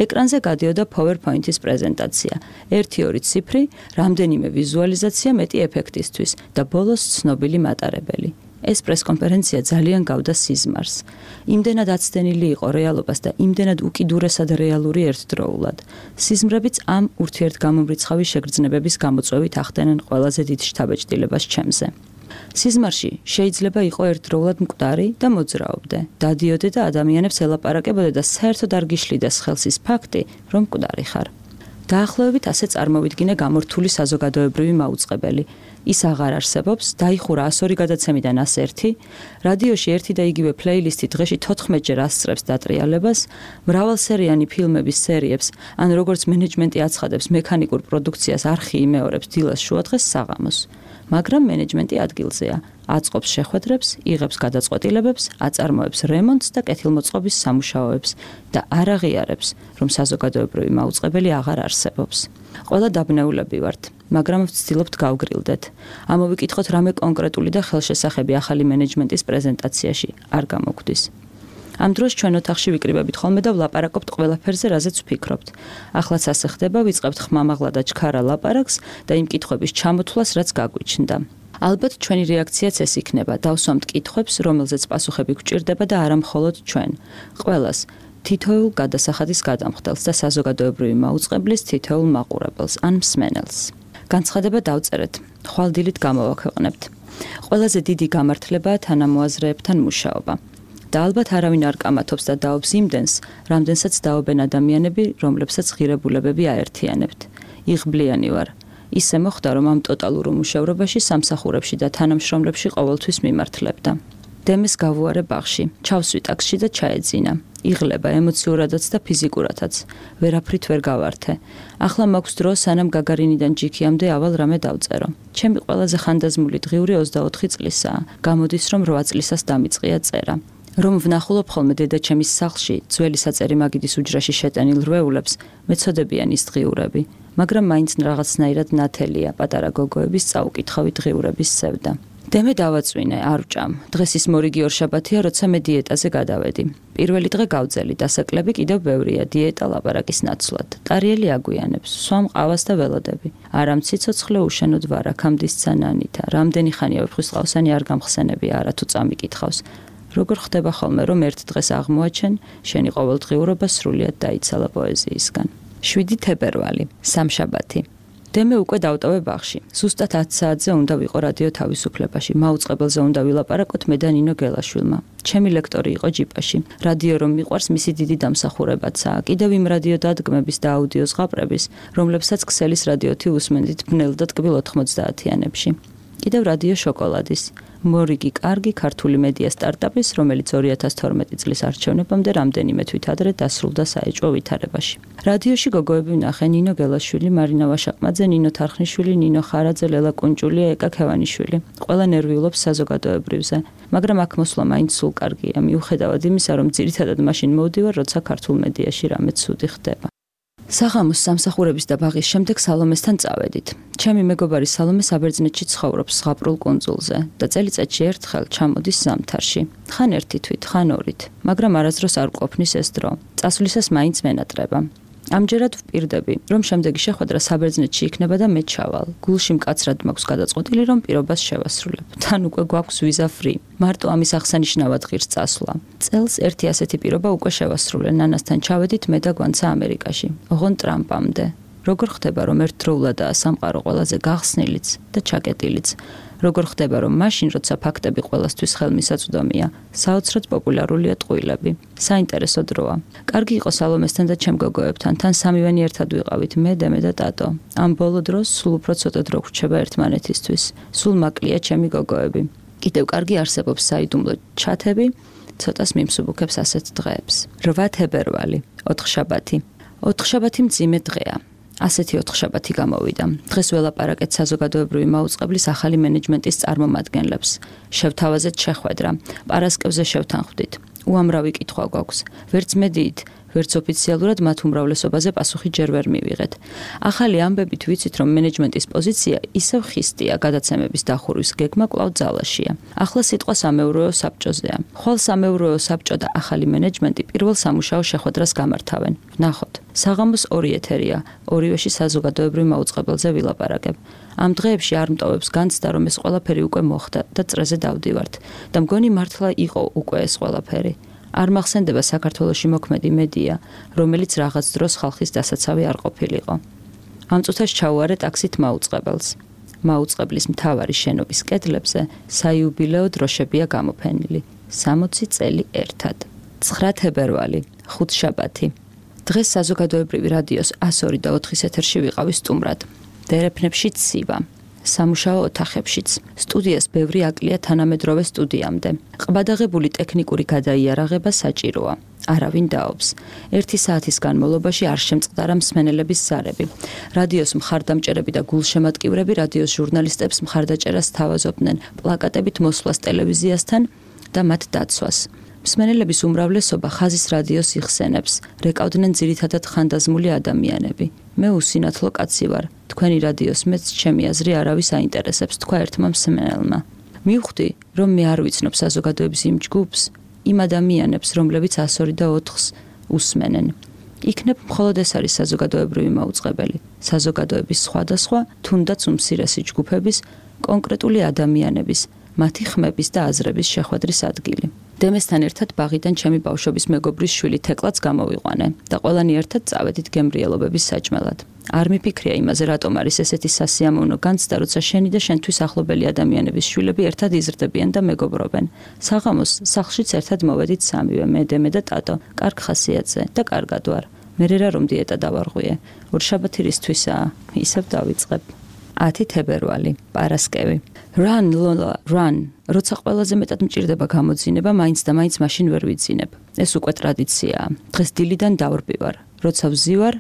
ეკრანზე გადიოდა PowerPoint-ის პრეზენტაცია. 1-2 ციფრი, რამდენიმე ვიზუალიზაცია მეტი ეფექტისთვის და ბოლოს ცნობილი მატარებელი. ეს პრესკონფერენცია ძალიან გავდა სიზმარს. იმდენად აცდენილი იყო რეალობას და იმდენად უკიდურესად რეალური ერთდროულად. სიზმრებიც ამ ურთიერთგამომრიცხავი შეგრძნებების გამოწვევით ახდენენ ყველაზე დიდ შთაბეჭდილებას ჩემზე. სიზმარში შეიძლება იყო ერთდროულად მკვდარი და მოძრაობდე. დადიოდე და ადამიანებს ელაპარაკებოდე და საერთოდ არ გიშლიდეს ხელს ის ფაქტი, რომ მკვდარი ხარ. დაახლოებით ასე წარმოვიდგინე გამორთული საზოგადოებრივი მაუწყებელი. ის აღარ არსებობს, დაიხურა 102 გადაცემიდან 101, რადიოში ერთი და იგივე პლეილისტი დღეში 14-ჯერ ასწრებს დატრიალებას, მრავალსერიანი ფილმების სერიებს, ან როგორც მენეჯმენტი აცხადებს, მექანიკურ პროდუქციას არხი იმეორებს დილას შუადღეს საღამოს. მაგრამ მენეჯმენტი ადგილზეა, აწყობს შეხვედრებს, იღებს გადაწყვეტილებებს, აწარმოებს რემონტს და კეთილმოწყობის სამუშაოებს და არ აღიარებს, რომ საზოგადოებრივი მაუწყებელი აღარ არსებობს. ყველა დაბნეულები ვართ, მაგრამ ვცდილობთ გავგრილდეთ. ამოვიკითხოთ რამე კონკრეტული და ხელშესახები ახალი მენეჯმენტის პრეზენტაციაში არ გამოგვდის. ამ დროს ჩვენ ოთახში ვიკრიბებით ხოლმე და ვლაპარაკობთ ყველაფერზე, რაზეც ვფიქრობთ. ახლაც ასე ხდება, ვიწყებთ ხმამაღლა და ჩქარა ლაპარაკს და იმ კითხვების ჩამოთვლას, რაც გაგვიჩნდა. ალბათ ჩვენი რეაქციაც ეს იქნება, დავსვამთ კითხვებს, რომელზეც პასუხები გვჭირდება და არა მხოლოდ ჩვენ. ყველას თითოეულ გადასახადის გადამხდელს და საზოგადოებრივი მაუწყებლის თითოეულ მაყურებელს ან მსმენელს. განცხადება დავწერეთ, ხვალდილით გამოვაქვეყნებთ. ყველაზე დიდი გამართლებაა თანამოაზრეებთან მუშაობა. და ალბათ არავინ არ კამათობს და დაობს იმდენს, რამდენსაც დაობენ ადამიანები, რომლებსაც ღირებულებები აერთიანებთ. იღბლიანი ვარ. ისე მოხდა, რომ ამ ტოტალურ უმუშევრობაში სამსახურებში და თანამშრომლებში ყოველთვის მიმართლებდა. დემეს გავუარე ბაღში, ჩავსვი ტაქსში და ჩაეძინა. იღლება ემოციურადაც და ფიზიკურადაც. ვერაფრით ვერ გავართე. ახლა მაქვს დრო, სანამ გაგარინიდან ჯიქიამდე ავალ რამე დავწერო. ჩემი ყველაზე ხანდაზმული დღიური 24 წლისაა. გამოდის, რომ 8 წლისას დამიწყია წერა. რომ ვნახულობ ხოლმე დედაჩემის სახლში, ძველი საწერი მაგიდის უჯრაში შეტენილ რვეულებს, მეცოდებიან ის დღიურები, მაგრამ მაინც რაღაცნაირად ნათელია პატარა გოგოების წაუკითხავი დღიურების სევდა. დემე დავაწვინე, არ ვჭამ. დღეს ის მორიგი ორშაბათია, როცა მე დიეტაზე გადავედი. პირველი დღე გავძელი, დასაკლები კიდევ ბევრია, დიეტა ლაპარაკის ნაცვლად. ტარიელი აგვიანებს, სვამ ყავას და ველოდები. არამ ციცოცხლე უშენოდ ვარ, აქამდისცა ნანითა. რამდენი ხანია ვეფხვისყავსანი არ გამხსენები, არა თუ წამიკითხავს. როგორ ხდება ხოლმე, რომ ერთ დღეს აღმოაჩენ, შენი ყოველდღიურობა სრულიად დაიცალა პოეზიისგან. 7 თებერვალი, სამშაბათი. დემე უკვე დავტოვე ბაღში. ზუსტად 10 საათზე უნდა ვიყო რადიო თავისუფლებაში. მაუწყებელზე უნდა ვილაპარაკოთ მე და ნინო გელაშვილმა. ჩემი ლექტორი იყო ჯიპაში. რადიო რომ მიყვარს, მისი დიდი დამსახურებაცაა. კიდევ იმ რადიო დადგმების და აუდიო ზღაპრების, რომლებსაც ქსელის რადიოთი უსმენდით ბნელ და ტკბილ 90-იანებში. კიდევ რადიო შოკოლადის. მორიგი კარგი ქართული მედია სტარტაპის, რომელიც 2012 წლის არჩევნებამდე რამდენიმე თვით ადრე დასრულდა საეჭვო ვითარებაში. რადიოში გოგოები ვნახე: ნინო გელაშვილი, მარინა ვაშაყმაძე, ნინო თარხნიშვილი, ნინო ხარაძე, ლელა კუნჭულია, ეკა ქევანიშვილი. ყველა ნერვიულობს საზოგადოებრივზე, მაგრამ აქ მოსვლა მაინც სულ კარგია, მიუხედავად იმისა, რომ ძირითადად მაშინ მოვდივარ, როცა ქართულ მედიაში რამე ცუდი ხდება. საღამოს სამსახურების და ბაღის შემდეგ სალომესთან წავედით. ჩემი მეგობარი სალომე საბერძნეთში ცხოვრობს ზღაპრულ კუნძულზე და წელიწადში ერთხელ ჩამოდის ზამთარში. ხან ერთი თვით, ხან ორით, მაგრამ არასდროს არ ყოფნის ეს დრო. წასვლისას მაინც მენატრება. ამჯერად ვპირდები, რომ შემდეგი შეხვედრა საბერძნეთში იქნება და მე ჩავალ. გულში მკაცრად მაქვს გადაწყვეტილი, რომ პირობას შევასრულებ. თან უკვე გვაქვს ვიზა ფრი. მარტო ამის აღსანიშნავად ღირს წასვლა. წელს ერთი ასეთი პირობა უკვე შევასრულე. ნანასთან ჩავედით მე და გვანცა ამერიკაში. ოღონ ტრამპამდე. როგორ ხდება, რომ ერთდროულადაა სამყარო ყველაზე გახსნილიც და ჩაკეტილიც. როგორ ხდება, რომ მაშინ, როცა ფაქტები ყველასთვის ხელმისაწვდომია, საოცრად პოპულარულია ტყუილები. საინტერესო დროა. კარგი იყო სალომესთან და ჩემ გოგოებთან, თან სამივენი ერთად ვიყავით, მე, დემე და ტატო. ამ ბოლო დროს სულ უფრო ცოტა დრო გვრჩება ერთმანეთისთვის. სულ მაკლია ჩემი გოგოები. კიდევ კარგი არსებობს საიდუმლო ჩათები, ცოტას მიმსუბუქებს ასეთ დღეებს. 8 თებერვალი, ოთხშაბათი. ოთხშაბათი მძიმე დღეა. ასეთი ოთხშაბათი გამოვიდა. დღეს ველაპარაკეთ საზოგადოებრივი მაუწყებლის ახალი მენეჯმენტის წარმომადგენლებს. შევთავაზეთ შეხვედრა. პარასკევზე შევთანხმდით. უამრავი კითხვა გვაქვს. ვერც მედიით, ვერც ოფიციალურად მათ უმრავლესობაზე პასუხი ჯერ ვერ მივიღეთ. ახალი ამბებით ვიცით, რომ მენეჯმენტის პოზიცია ისევ ხისტია, გადაცემების დახურვის გეგმა კვლავ ძალაშია. ახლა სიტყვა სამეურვეო საბჭოზეა. ხვალ სამეურვეო საბჭო და ახალი მენეჯმენტი პირველ სამუშაო შეხვედრას გამართავენ. ვნახოთ. საღამოს 2 ეთერია, ორივეში საზოგადოებრივ მაუწყებელზე ვილაპარაკებ. ამ დღეებში არ მტოვებს განცდა, რომ ეს ყველაფერი უკვე მოხდა და წრეზე დავდივართ და მგონი მართლა იყო უკვე ეს ყველაფერი. არ მახსენდება საქართველოში მოქმედი მედია, რომელიც რაღაც დროს ხალხის დასაცავი არ ყოფილიყო. ამ წუთას ჩაუარე ტაქსით მაუწყებელს. მაუწყებლის მთავარი შენობის კედლებზე საიუბილეო დროშებია გამოფენილი. 60 წელი ერთად. 9 თებერვალი, ხუთშაბათი. დღეს საზოგადოებრივი რადიოს 102 და 4-ის ეთერში ვიყავი სტუმრად. დერეფნებში ცივა. სამუშაო ოთახებშიც. სტუდიას ბევრი აკლია თანამედროვე სტუდიამდე. ყბადაღებული ტექნიკური გადაიარაღება საჭიროა. არავინ დაობს. 1 საათის განმავლობაში არ შემწყდარა მსმენელების ზარები. რადიოს მხარდამჭერები და გულშემატკივრები რადიოს ჟურნალისტებს მხარდაჭერას თავაზობდნენ პლაკატებით მოსვლას ტელევიზიასთან და მათ დაცვას. მსმენელების უმრავლესობა ხაზის რადიოს იხსენებს. რეკავდნენ ძირითადად ხანდაზმული ადამიანები. მე უსინათლო კაცი ვარ. თქვენი რადიოს მეც ჩემი აზრი არავის აინტერესებს, თქვა ერთმა მსმენელმა. მივხვდი, რომ მე არ ვიცნობ საზოგადოების იმ ჯგუფს, იმ ადამიანებს, რომლებიც 102 და 4-ს უსმენენ. იქნებ მხოლოდ ეს არის საზოგადოებრივი მაუწყებელი. საზოგადოების სხვადასხვა, თუნდაც უმცირესი ჯგუფების, კონკრეტული ადამიანების, მათი ხმების და აზრების შეხვედრის ადგილი. დემესთან ერთად ბაღიდან ჩემი ბავშვობის მეგობრის შვილი თეკლაც გამოვიყვანე და ყველანი ერთად წავედით გემრიელობების საჭმელად. არ მიფიქრია იმაზე, რატომ არის ესეთი სასიამოვნო განცდა, როცა შენი და შენთვის ახლობელი ადამიანების შვილები ერთად იზრდებიან და მეგობრობენ. საღამოს სახლშიც ერთად მოვედით სამივე, მე, დემე და ტატო, კარგ ხასიათზე და კარგად ვარ. მერე რა რომ დიეტა დავარღვიე. ორშაბათი რისთვისაა, ისევ დავიწყებ. 10 თებერვალი, პარასკევი. Run Lola, run. როცა ყველაზე მეტად მჭირდება გამოძინება, მაინც და მაინც მაშინ ვერ ვიძინებ. ეს უკვე ტრადიციაა. დღეს დილიდან დავრბივარ. როცა ვზივარ,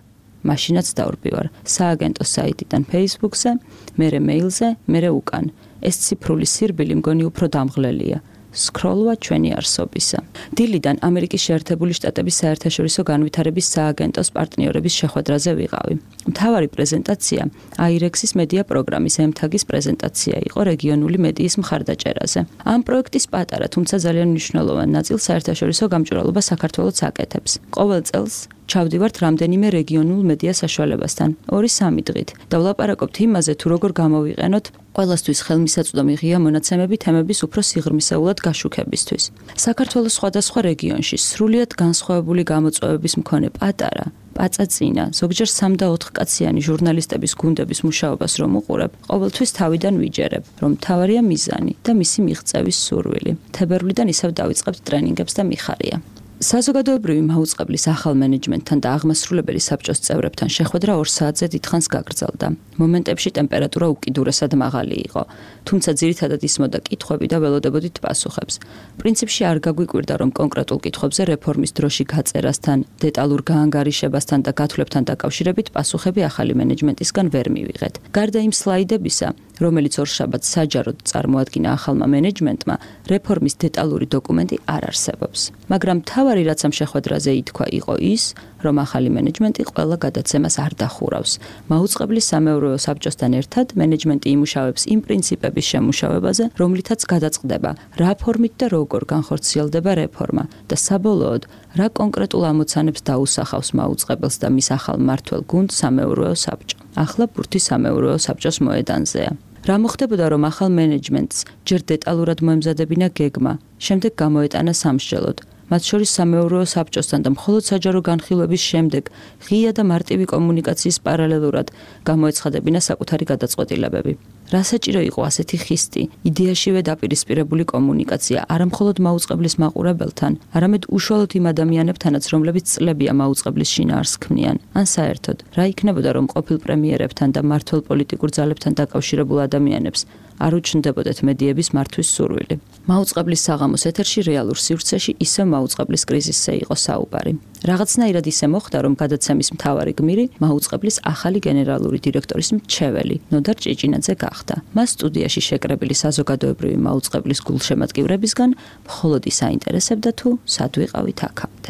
მაშინაც დავრბივარ. სააგენტო საიტიდან Facebook-ზე, მერე მეილზე, მერე უკან. ეს ციფრული სირბილი მგონი უფრო დამღლელია. სკროლვა ჩვენი არსობისა. დილიდან ამერიკის შეერთებული შტატების საერთაშორისო განვითარების სააგენტოს პარტნიორების შეხვედრაზე ვიყავი. მთავარი პრეზენტაცია AIREX-ის მედია პროგრამის MTAG-ის პრეზენტაცია იყო რეგიონული მედიის მხარდაჭერაზე. ამ პროექტის პატარა, თუმცა ძალიან მნიშვნელოვანი ნაწილს საერთაშორისო გამჭვირვალობა საქართველოს აკეთებს. ყოველ წელს ჩავდივართ რამდენიმე რეგიონულ მედია საშუალებასთან 2-3 დღით და ვლაპარაკობთ იმაზე, თუ როგორ გამოვიყენოთ ყველასთვის ხელმისაწვდომი ღია მონაცემები თემების უფრო სიღრმისეულად გაშუქებისთვის. საქართველოს სხვადასხვა რეგიონში სრულიად განსხვავებული გამოწვევების მქონე პატარა, პაწაწინა, ზოგჯერ 3 და 4 კაციანი ჟურნალისტების გუნდების მუშაობას რომ უყურებ, ყოველთვის თავიდან ვიჯერებ, რომ მთავარია მიზანი და მისი მიღწევის სურვილი. თებერვლიდან ისევ დავიწყებთ ტრენინგებს და მიხარია. საზოგადოებრივი მაუწყებლის ახალ მენეჯმენტთან და აღმასრულებელი საბჭოს წევრებთან შეხვედრა 2 საათზე დიდხანს გაგრძელდა. მომენტებში ტემპერატურა უკიდურესად მაღალი იყო, თუმცა ძირითადად ისმოდა კითხვები და ველოდებოდით პასუხებს. პრინციპში არ გაგვიკვირდა, რომ კონკრეტულ კითხვებზე რეფორმის დროში გაწერასთან, დეტალურ გაანგარიშებასთან და გათვლებთან დაკავშირებით პასუხები ახალი მენეჯმენტისგან ვერ მივიღეთ. გარდა იმ სლაიდებისა, რომელიც ორშაბათს საჯაროდ წარმოადგინა ახალმა მენეჯმენტმა, რეფორმის დეტალური დოკუმენტი არ არსებობს. მაგრამ მთავარი რაც ამ შეხვედრაზე ითქვა იყო ის, რომ ახალი მენეჯმენტი ყველა გადაცემას არ დახურავს. მაუწყებლის სამეურვეო საბჭოსთან ერთად მენეჯმენტი იმუშავებს იმ პრინციპების შემუშავებაზე, რომლითაც გადაწყდება რა ფორმით და როგორ განხორციელდება რეფორმა და საბოლოოდ რა კონკრეტულ ამოცანებს დაუსახავს მაუწყებელს და მის ახალ მმართველ გუნდს სამეურვეო საბჭო. ახლა ბურთი სამეურვეო საბჭოს მოედანზეა. რა მოხდებოდა, რომ ახალ მენეჯმენტს ჯერ დეტალურად მოემზადებინა გეგმა, შემდეგ გამოეტანა სამსჯელოდ. მათ შორის სამეურვეო საბჭოსთან და მხოლოდ საჯარო განხილვების შემდეგ ღია და მარტივი კომუნიკაციის პარალელურად გამოეცხადებინა საკუთარი გადაწყვეტილებები. რა საჭირო იყო ასეთი ხისტი, იდეაშივე დაპირისპირებული კომუნიკაცია, არა მხოლოდ მაუწყებლის მაყურებელთან, არამედ უშუალოდ იმ ადამიანებთანაც, რომლებიც წლებია მაუწყებლის შინაარსს ქმნიან. ან საერთოდ, რა იქნებოდა, რომ ყოფილ პრემიერებთან და მმართველ პოლიტიკურ ძალებთან დაკავშირებულ ადამიანებს არ უჩნდებოდეთ მედიების მართვის სურვილი. მაუწყებლის საღამოს ეთერში რეალურ სივრცეში ისევ მაუწყებლის კრიზისზე იყო საუბარი. რაღაცნაირად ისე მოხდა, რომ გადაცემის მთავარი გმირი მაუწყებლის ახალი გენერალური დირექტორის მრჩეველი ნოდარ ჭეჭინაძე გახდა. მას სტუდიაში შეკრებილი საზოგადოებრივი მაუწყებლის გულშემატკივრებისგან მხოლოდ ის აინტერესებდა, თუ სად ვიყავით აქამდე.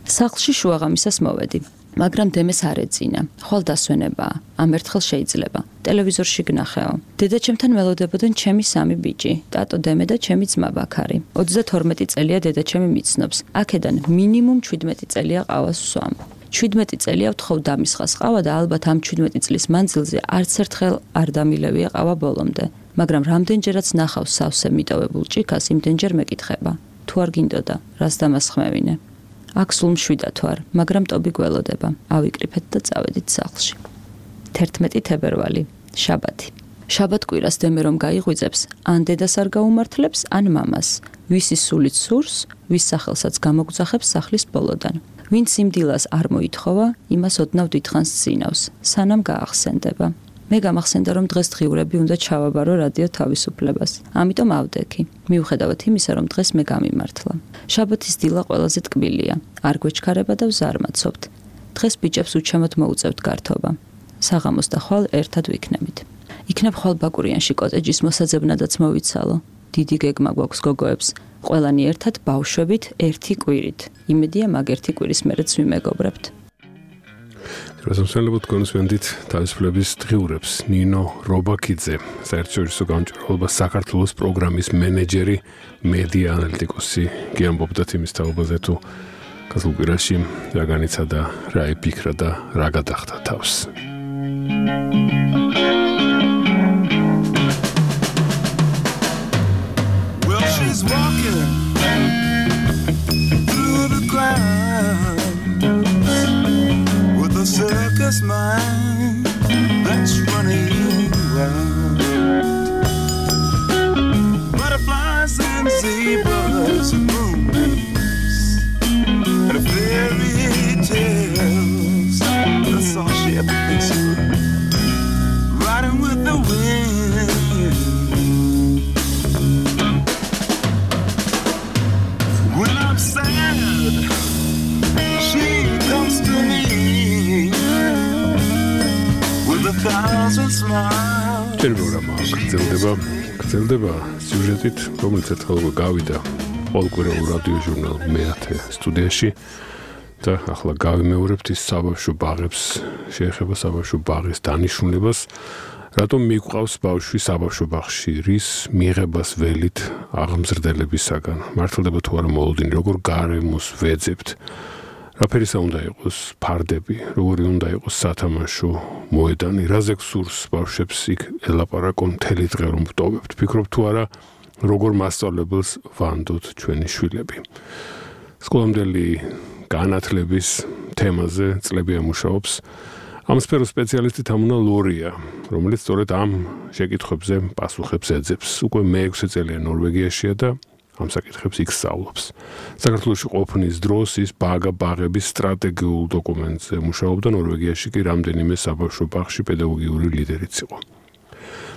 სახლში შუაღამისას მოვედი. მაგრამ დემეს არ ეძინა. ხვალ დასვენებაა. ამ ერთხელ შეიძლება. ტელევიზორში გნახეო. დედაჩემთან ველოდებოდნენ ჩემი 3 ბიჭი, ტატო დემე და ჩემი ძმა ბაქარი. 32 წელია დედაჩემი მიცნობს. აქედან მინიმუმ 17 წელია ყავას ვსვამ. 17 წელია ვთხოვ დამისხას ყავა და ალბათ ამ 17 წლის მანძილზე არც ერთხელ არ დამილევია ყავა ბოლომდე. მაგრამ რამდენჯერაც ნახავს სავსე მიტოვებულ ჭიქას, იმდენჯერ მეკითხება. თუ არ გინდოდა, რას დამასხმევინე? აქ სულ მშვიდად ვარ, მაგრამ ტობი გველოდება. ავიკრიფეთ და წავედით სახლში. 11 თებერვალი, შაბათი. შაბათკვირას დემე რომ გაიღვიძებს, ან დედას არ გაუმართლებს, ან მამას. ვისი სულით სურს, ვის სახელსაც გამოგძახებს სახლის ბოლოდან. ვინც იმ დილას არ მოითხოვა, იმას ოდნავ დიდხანს წინავს, სანამ გაახსენდება. მე გამახსენდა, რომ დღეს დღიურები უნდა ჩავაბარო რადიო თავისუფლებას. ამიტომ ავდექი. მიუხედავად იმისა, რომ დღეს მე გამიმართლა. შაბათის დილა ყველაზე ტკბილია. არ გვეჩქარება და ვზარმაცობთ. დღეს ბიჭებს უჩემოდ მოუწევთ გართობა. საღამოს და ხვალ ერთად ვიქნებით. იქნებ ხვალ ბაკურიანში კოტეჯის მოსაძებნადაც მოვიცალო. დიდი გეგმა გვაქვს გოგოებს. ყველანი ერთად ბავშვებით ერთი კვირით. იმედია მაგ ერთი კვირის მერეც ვიმეგობრებთ. რასამსელებოდ კონსვენდით თავისუფლების დღიურებს ნინო რობაქიძე, საერთაშორისო გამჭვირვალობა საქართველოს პროგრამის მენეჯერი, მედია ანალიტიკოსი, გიამბობდა იმის თაობაზე, თუ გასულ კვირაში რა განიცა და რა იფიქრა და რა გადახდა თავს. Well, she's walking through the ground with a circus mind that's running wild. Butterflies and zebras and moonbeams and fairy tales. That's all she ever thinks of. Riding with the smiles and smiles. Červona გრძელდება სიუჟეტით, რომელიც ერთხელ გავიდა პოლკვირეულ რადიო ჟურნალ მეათე სტუდიაში და ახლა გავიმეორებთ ის საბავშვო ბაღებს, შეეხება საბავშვო ბაღის დანიშნულებას, რატომ მიყვავს ბავშვი საბავშვო ბაღში, რის მიღებას ველით აღმზრდელებისაგან, მართლდება თუ არა მოლოდინი, როგორ გარემოს ვეძებთ, რაფერისა უნდა იყოს ფარდები, როგორი უნდა იყოს სათამაშო მოედანი, რაზე გსურს ბავშვებს იქ ელაპარაკონ მთელი დღე რომ ვტოვებთ, ფიქრობ თუ არა როგორ მასწავლებელს ვანდოთ ჩვენი შვილები. სკოლამდელი განათლების თემაზე წლები ამუშავებს ამ სფეროს სპეციალისტი თამუნა ლორია, რომელიც სწორედ ამ შეკითხვებზე პასუხებს ეძებს. უკვე მე-6 წელია ნორვეგიაშია და ამ საკითხებს იქ სწავლობს. საქართველოში ყოფნის დროს ის ბაღების სტრატეგიულ დოკუმენტზე მუშაობდა, ნორვეგიაში კი რამდენიმე საბავშვო ბაღში პედაგოგიური ლიდერიც იყო.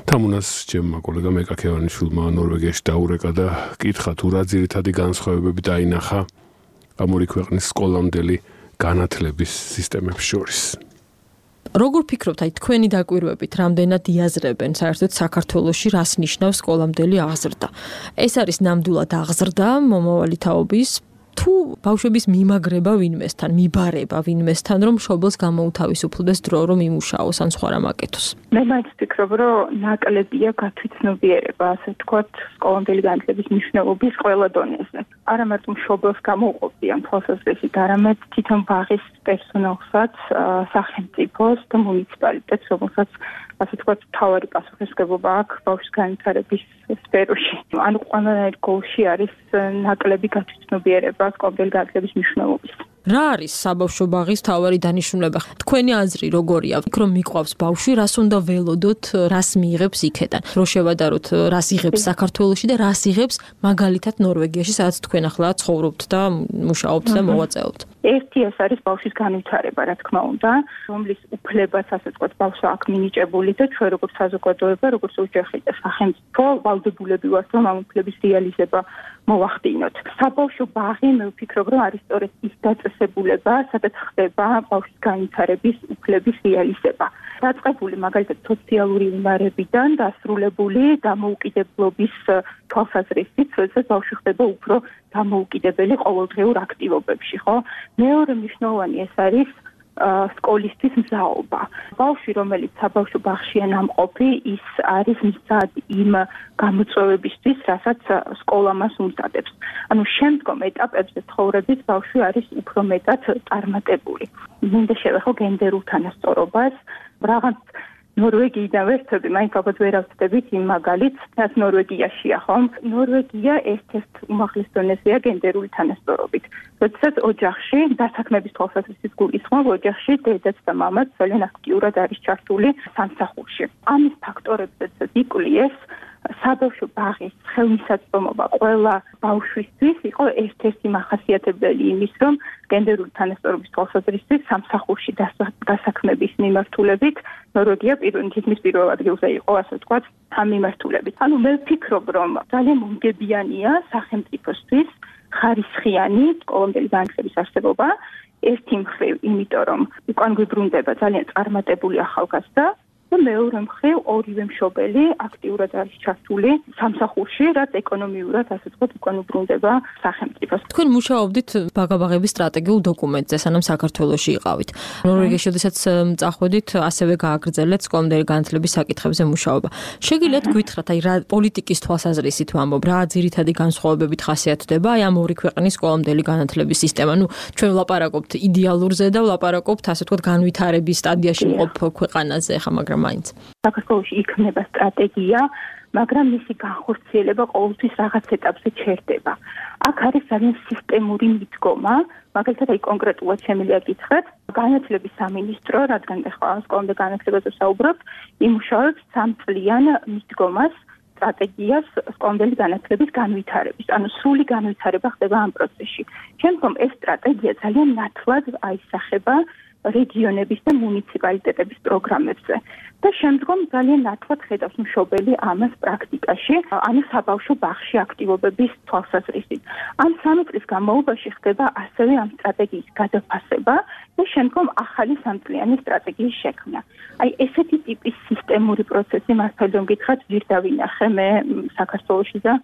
თამუნას ჩემმა კოლეგამ ეკაქევანიშვილმა ნორვეგიაში დაურეკა და კითხა თუ რა ძირითადი განსხვავებები დაინახა ამ ორი ქვეყნის სკოლამდელი განათლების სისტემებს შორის. როგორ ფიქრობთ, აი თქვენი დაკვირვებით, რამდენად იაზრებენ საერთოდ საქართველოში რას ნიშნავს სკოლამდელი აღზრდა? ეს არის ნამდვილად აღზრდა მომავალი თაობის თუ ბავშვების მიმაგრება ვინმესთან, მიბარება ვინმესთან, რომ მშობელს გამოუთავისუფლდეს დრო, რომ იმუშაოს ან სხვა რამ აკეთოს? მე მაინც ვფიქრობ, რომ ნაკლებია გათვითცნობიერება, ასე ვთქვათ, სკოლამდელი განათლების მნიშვნელობის ყველა დონეზე. არა მარტო მშობელს გამოუყოფიან თვალსაზრისით, არამედ თვითონ ბაღის პერსონალსაც, სახელმწიფოს და მუნიციპალიტეტს, რომელსაც ასე ვთქვათ, მთავარი პასუხისმგებლობა აქვს ბავშვის განვითარების სფეროში. ანუ ყველანაირ გოლში არის ნაკლები გათვითცნობიერება სკოლამდელი განათლების მნიშვნელობის. რა არის საბავშვო ბაღის მთავარი დანიშნულება? თქვენი აზრი როგორია? რომ მიყვავს ბავშვი, რას უნდა ველოდოთ, რას მიიღებს იქედან? რო შევადაროთ, რას იღებს საქართველოში და რას იღებს მაგალითად ნორვეგიაში, სადაც თქვენ ახლა ცხოვრობთ და მუშაობთ და მოვაწეობთ. ერთი ეს არის ბავშვის განვითარება, რა თქმა უნდა, რომლის უფლებას, ასე ვთქვათ, ბავშვს აქვს მინიჭებული და ჩვენ როგორც საზოგადოება, როგორც ოჯახი და სახელმწიფო ვალდებულები ვართ, რომ ამ უფლების რეალიზება მოვახდინოთ. საბავშვო ბაღი, მე ვფიქრობ, რომ არის სწორედ ის დაწესებულება, სადაც ხდება ბავშვის განვითარების უფლების რეალიზება. დაწყებული მაგალითად სოციალური უნარებიდან დასრულებული დამოუკიდებლობის თვალსაზრისით, როდესაც ბავშვი ხდება უფრო დამოუკიდებელი ყოველდღიურ აქტივობებში, ხო? მეორე მნიშვნელოვანი ეს არის სკოლისთვის მზაობა. ბავშვი, რომელიც საბავშვო ბაღშია ნამყოფი, ის არის მზად იმ გამოწვევებისთვის, რასაც სკოლა მას უმზადებს. ანუ შემდგომ ეტაპებზე ცხოვრების ბავშვი არის უფრო მეტად წარმატებული. მინდა შევეხო გენდერულ თანასწორობას, რაღაც ნორვეგიიდან ვერთები, მაინც ალბათ ვერ ავწდებით იმ მაგალითს, რაც ნორვეგიაშია, ხომ? ნორვეგია ერთ-ერთ უმაღლეს დონეზეა გენდერული თანასწორობით. როდესაც ოჯახში, დასაქმების თვალსაზრისით გულისხმობ, ოჯახში დედაც და მამაც ძალიან აქტიურად არის ჩართული სამსახურში. ამის ფაქტორებზეც იკვლიეს საბავშვო ბაღის ხელმისაწვდომობა ყველა ბავშვისთვის იყო ერთ-ერთი მახასიათებელი იმის, რომ გენდერული თანასწორობის თვალსაზრისით სამსახურში დასაქმების მიმართულებით ნორვეგია თითქმის პირველ ადგილზე იყო, ასე ვთქვათ, ამ მიმართულებით. ანუ მე ვფიქრობ, რომ ძალიან მომგებიანია სახელმწიფოსთვის ხარისხიანი სკოლამდელი განათლების არსებობა, ერთი მხრივ, იმიტომ რომ უკან გვიბრუნდება ძალიან წარმატებული ახალგაზრდა და მეორე მხრივ ორივე მშობელი აქტიურად არის ჩართული სამსახურში, რაც ეკონომიურად, ასე ვთქვათ, უკან უბრუნდება სახელმწიფოს. თქვენ მუშაობდით ბაღების სტრატეგიულ დოკუმენტზე, სანამ საქართველოში იყავით. ნორვეგიაში, შესაძაც წახვედით, ასევე გააგრძელეთ სკოლამდელი განათლების საკითხებზე მუშაობა. შეგიძლიათ გითხრათ, აი რა პოლიტიკის თვალსაზრისით ვამბობ, რა ძირითადი განსხვავებებით ხასიათდება აი ამ ორი ქვეყნის სკოლამდელი განათლების სისტემა. ნუ ჩვენ ვლაპარაკობთ იდეალურზე და ვლაპარაკობთ, ასე ვთქვათ, განვითარების სტადიაში მყოფ ქვეყანაზე, ხა მაგრამ მაინც. საქართველოში იქნება სტრატეგია, მაგრამ მისი განხორციელება ყოველთვის რაღაც ეტაპზე ჩერდება. აქ არის ძალიან სისტემური მიდგომა, მაგალითად აი კონკრეტულად შემიძლია გითხრათ, განათლების სამინისტრო, რადგან ახლა სკოლამდელ განათლებაზე საუბრობთ, იმუშავებს 3 წლიან მიდგომას, სტრატეგიას სკოლამდელი განათლების განვითარების. ანუ სრული განვითარება ხდება ამ პროცესში. შემდგომ ეს სტრატეგია ძალიან ნათლად აისახება რეგიონების და მუნიციპალიტეტების პროგრამებზე და შემდგომ ძალიან ნათლად ხედავს მშობელი ამას პრაქტიკაში, ანუ საბავშვო ბაღში აქტივობების თვალსაზრისით. ამ 3 წლის განმავლობაში ხდება ასევე ამ სტრატეგიის გადაფასება და შემდგომ ახალი 3 წლიანი სტრატეგიის შექმნა. აი ესეთი ტიპის სისტემური პროცესი მართალია რომ გითხრათ ვირ დავინახე მე საქართველოში და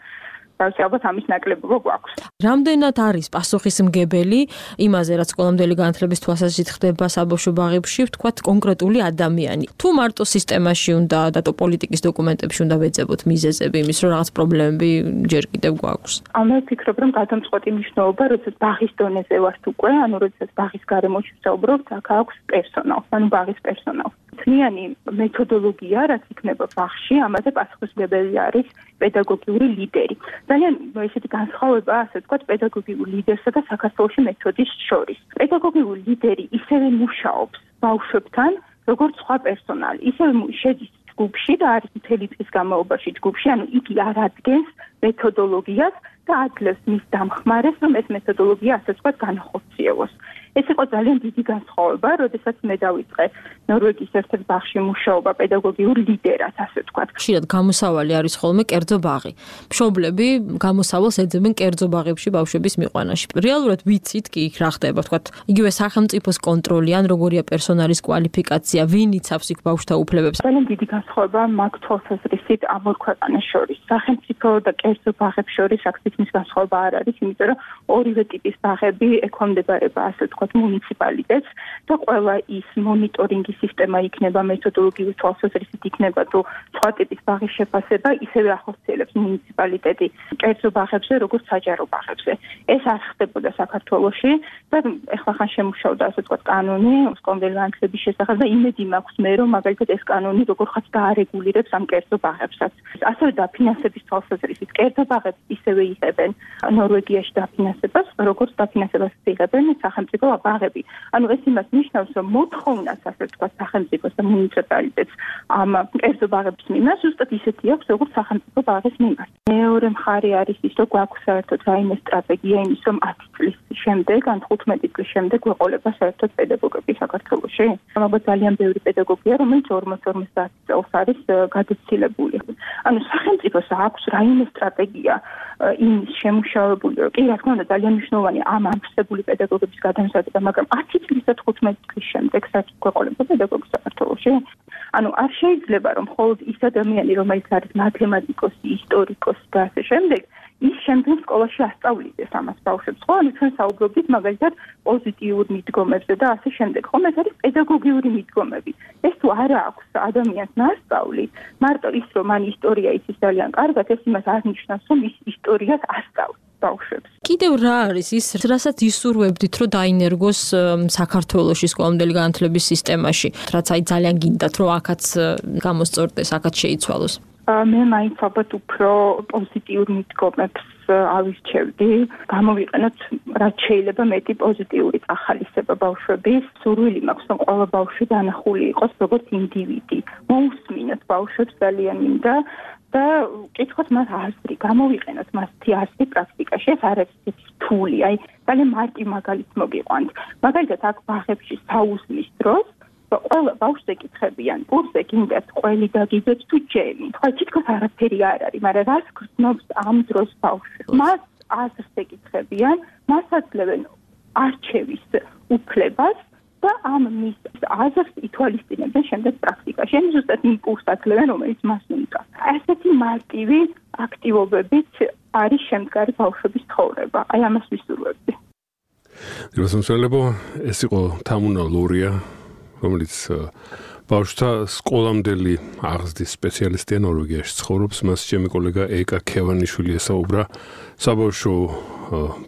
ალბათ ამის ნაკლებობა გვაქვს. რამდენად არის პასუხისმგებელი იმაზე, რაც სკოლამდელი განათლების თვალსაზრისით ხდება საბავშვო ბაღებში, ვთქვათ, კონკრეტული ადამიანი. თუ მარტო სისტემაში უნდა და პოლიტიკის დოკუმენტებში უნდა ვეძებოთ მიზეზები იმის, რომ რაღაც პრობლემები ჯერ კიდევ გვაქვს. მე ვფიქრობ, რომ გადამწყვეტი მნიშვნელობა, როდესაც ბაღის დონეზე ვართ უკვე, ანუ როდესაც ბაღის გარემოში ვსაუბრობთ, აქ აქვს პერსონალს, ანუ ბაღის პერსონალს. თლიანი მეთოდოლოგია, რაც იქნება ბაღში, ამაზე პასუხისმგებელი არის პედაგოგიური ლიდერი. ძალიან ესეთი განსხვავება, ასე ვთქვათ, პედაგოგიურ ლიდერსა და საქართველოში მეთოდის შორის. პედაგოგიური ლიდერი ისევე მუშაობს ბავშვებთან, როგორც სხვა პერსონალი. ისევე შედის ჯგუფში და არის მთელი წლის განმავლობაში ჯგუფში, ანუ იგი არ ადგენს მეთოდოლოგიას და აძლევს მის დამხმარეს, რომ ეს მეთოდოლოგია, ასე ვთქვათ, განახორციელოს. ეს იყო ძალიან დიდი განსხვავება, როდესაც მე დავიწყე ნორვეგიის ერთ-ერთ ბაღში მუშაობა პედაგოგიურ ლიდერად, ასე ვთქვათ. ხშირად გამოსავალი არის ხოლმე კერძო ბაღი. მშობლები გამოსავალს ეძებენ კერძო ბაღებში ბავშვების მიყვანაში. რეალურად ვიცით კი იქ რა ხდება, ვთქვათ, იგივე სახელმწიფოს კონტროლი ან როგორია პერსონალის კვალიფიკაცია, ვინ იცავს იქ ბავშვთა უფლებებს. ძალიან დიდი განსხვავება მაგ თვალსაზრისით ამ ორ ქვეყანას შორის. სახელმწიფო და კერძო ბაღებს შორის აქციის განსხვავება არ არის, იმიტომ რომ ორივე ტიპის ბაღები ექვემდებარება, ასე ვთქვათ, მუნიციპალიტეტს და ყველა ის მონიტორინგის სისტემა იქნება მეთოდოლოგიური თვალსაზრისით იქნება თუ სხვა ტიპის ბაღის შეფასება ისევე ახორციელებს მუნიციპალიტეტი კერძო ბაღებზე როგორც საჯარო ბაღებზე. ეს არ ხდებოდა საქართველოში და ეხლა ხან შემუშავდა ასე ვთქვათ კანონი სკოლამდელი განათლების შესახებ და იმედი მაქვს მე რომ მაგალითად ეს კანონი როგორღაც დაარეგულირებს ამ კერძო ბაღებსაც. ასევე დაფინანსების თვალსაზრისით კერძო ბაღებს ისევე იღებენ ნორვეგიაში დაფინანსებას როგორც დაფინანსებას იღებენ სახელმწიფო ბაღები. ანუ ეს იმას ნიშნავს, რომ მოთხოვნას ასე ვთქვათ სახელმწიფოს და მუნიციპალიტეტს ამ კერძო ბაღების მიმართ ზუსტად ისეთი აქვს, როგორც სახელმწიფო ბაღის მიმართ. მეორე მხარე არის ის, რომ გვაქვს საერთოდ რაიმე სტრატეგია იმის, რომ 10 წლის შემდეგ, ან 15 წლის შემდეგ გვეყოლება საერთოდ პედაგოგები საქართველოში. ალბათ ძალიან ბევრი პედაგოგია, რომელიც 40-50 წელს არის გადაცილებული. ანუ სახელმწიფოს აქვს რაიმე სტრატეგია იმის შემუშავებული, რომ კი რა თქმა უნდა ძალიან მნიშვნელოვანი ამ ამსებული პედაგოგების გადამზადება, მაგრამ 10 წლის და 15 წლის შემდეგ საერთოდ გვეყოლება პედაგოგი საქართველოში. ანუ არ შეიძლება რომ მხოლოდ ის ადამიანი, რომელიც არის მათემატიკოსი, ისტორიკოსი და ასე შემდეგ, ის შემდგომ სკოლაში ასწავლიდეს ამას ბავშვებს. ხო, ანუ ჩვენ საუბრობთ მაგალითად პოზიტიურ მიდგომებზე და ასე შემდეგ. ხომ ეს არის პედაგოგიური მიდგომები. ეს თუ არა აქვს ადამიანს ნასწავლი, მარტო ის რომ მან ისტორია იცის ძალიან კარგად, ეს იმას არ ნიშნავს, რომ ის ისტორიას ასწავლს ბავშვებს. კიდევ რა არის ის, რასაც ისურვებდით, რომ დაინერგოს საქართველოში სკოლამდელი განათლების სისტემაში, რაც აი ძალიან გინდათ, რომ აქაც გამოსწორდეს, აქაც შეიცვალოს. მე მაინც ალბათ უფრო პოზიტიურ მიდგომებს ავირჩევდი, გამოვიყენოთ რაც შეიძლება მეტი პოზიტიური წახალისება ბავშვების. სურვილი მაქვს, რომ ყველა ბავშვი დანახული იყოს როგორც ინდივიდი. მოусმინოთ ბავშვებს ძალიან მინდა და კითხოთ მას აზრი, გამოვიყენოთ მასთი აზრი პრაქტიკაში. ეს არ არის რთული, აი ძალიან მარტივ მაგალითს მოგიყვანთ. მაგალითად აქ ბაღებში საუზმის დროს ყველა ბავშვს ეკითხებიან, კურსზე გინდათ ყველი დაგიძეთ თუ ჯემი. ხო, თითქოს არაფერი არ არის, მაგრამ რას გრძნობს ამ დროს ბავშვი? მას აზრს ეკითხებიან, მას აძლევენ არჩევის უფლებას და ამ მის აზრს ითვალისწინებენ შემდეგ პრაქტიკაში. ან ზუსტად იმ კურსს აძლევენ, რომელიც მას უნდა. ასეთი მარტივი აქტივობებით არის შემდგარი ბავშვების ცხოვრება. აი ამას ვისურვებდი. გასამსვენებო, ეს იყო თამუნა ლურია, რომელიც ბავშვთა სკოლამდელი აღზრდის სპეციალისტია ნორვეგიაში ცხოვრობს. მას ჩემი კოლეგა ეკა ქევანიშვილი ესაუბრა საბავშვო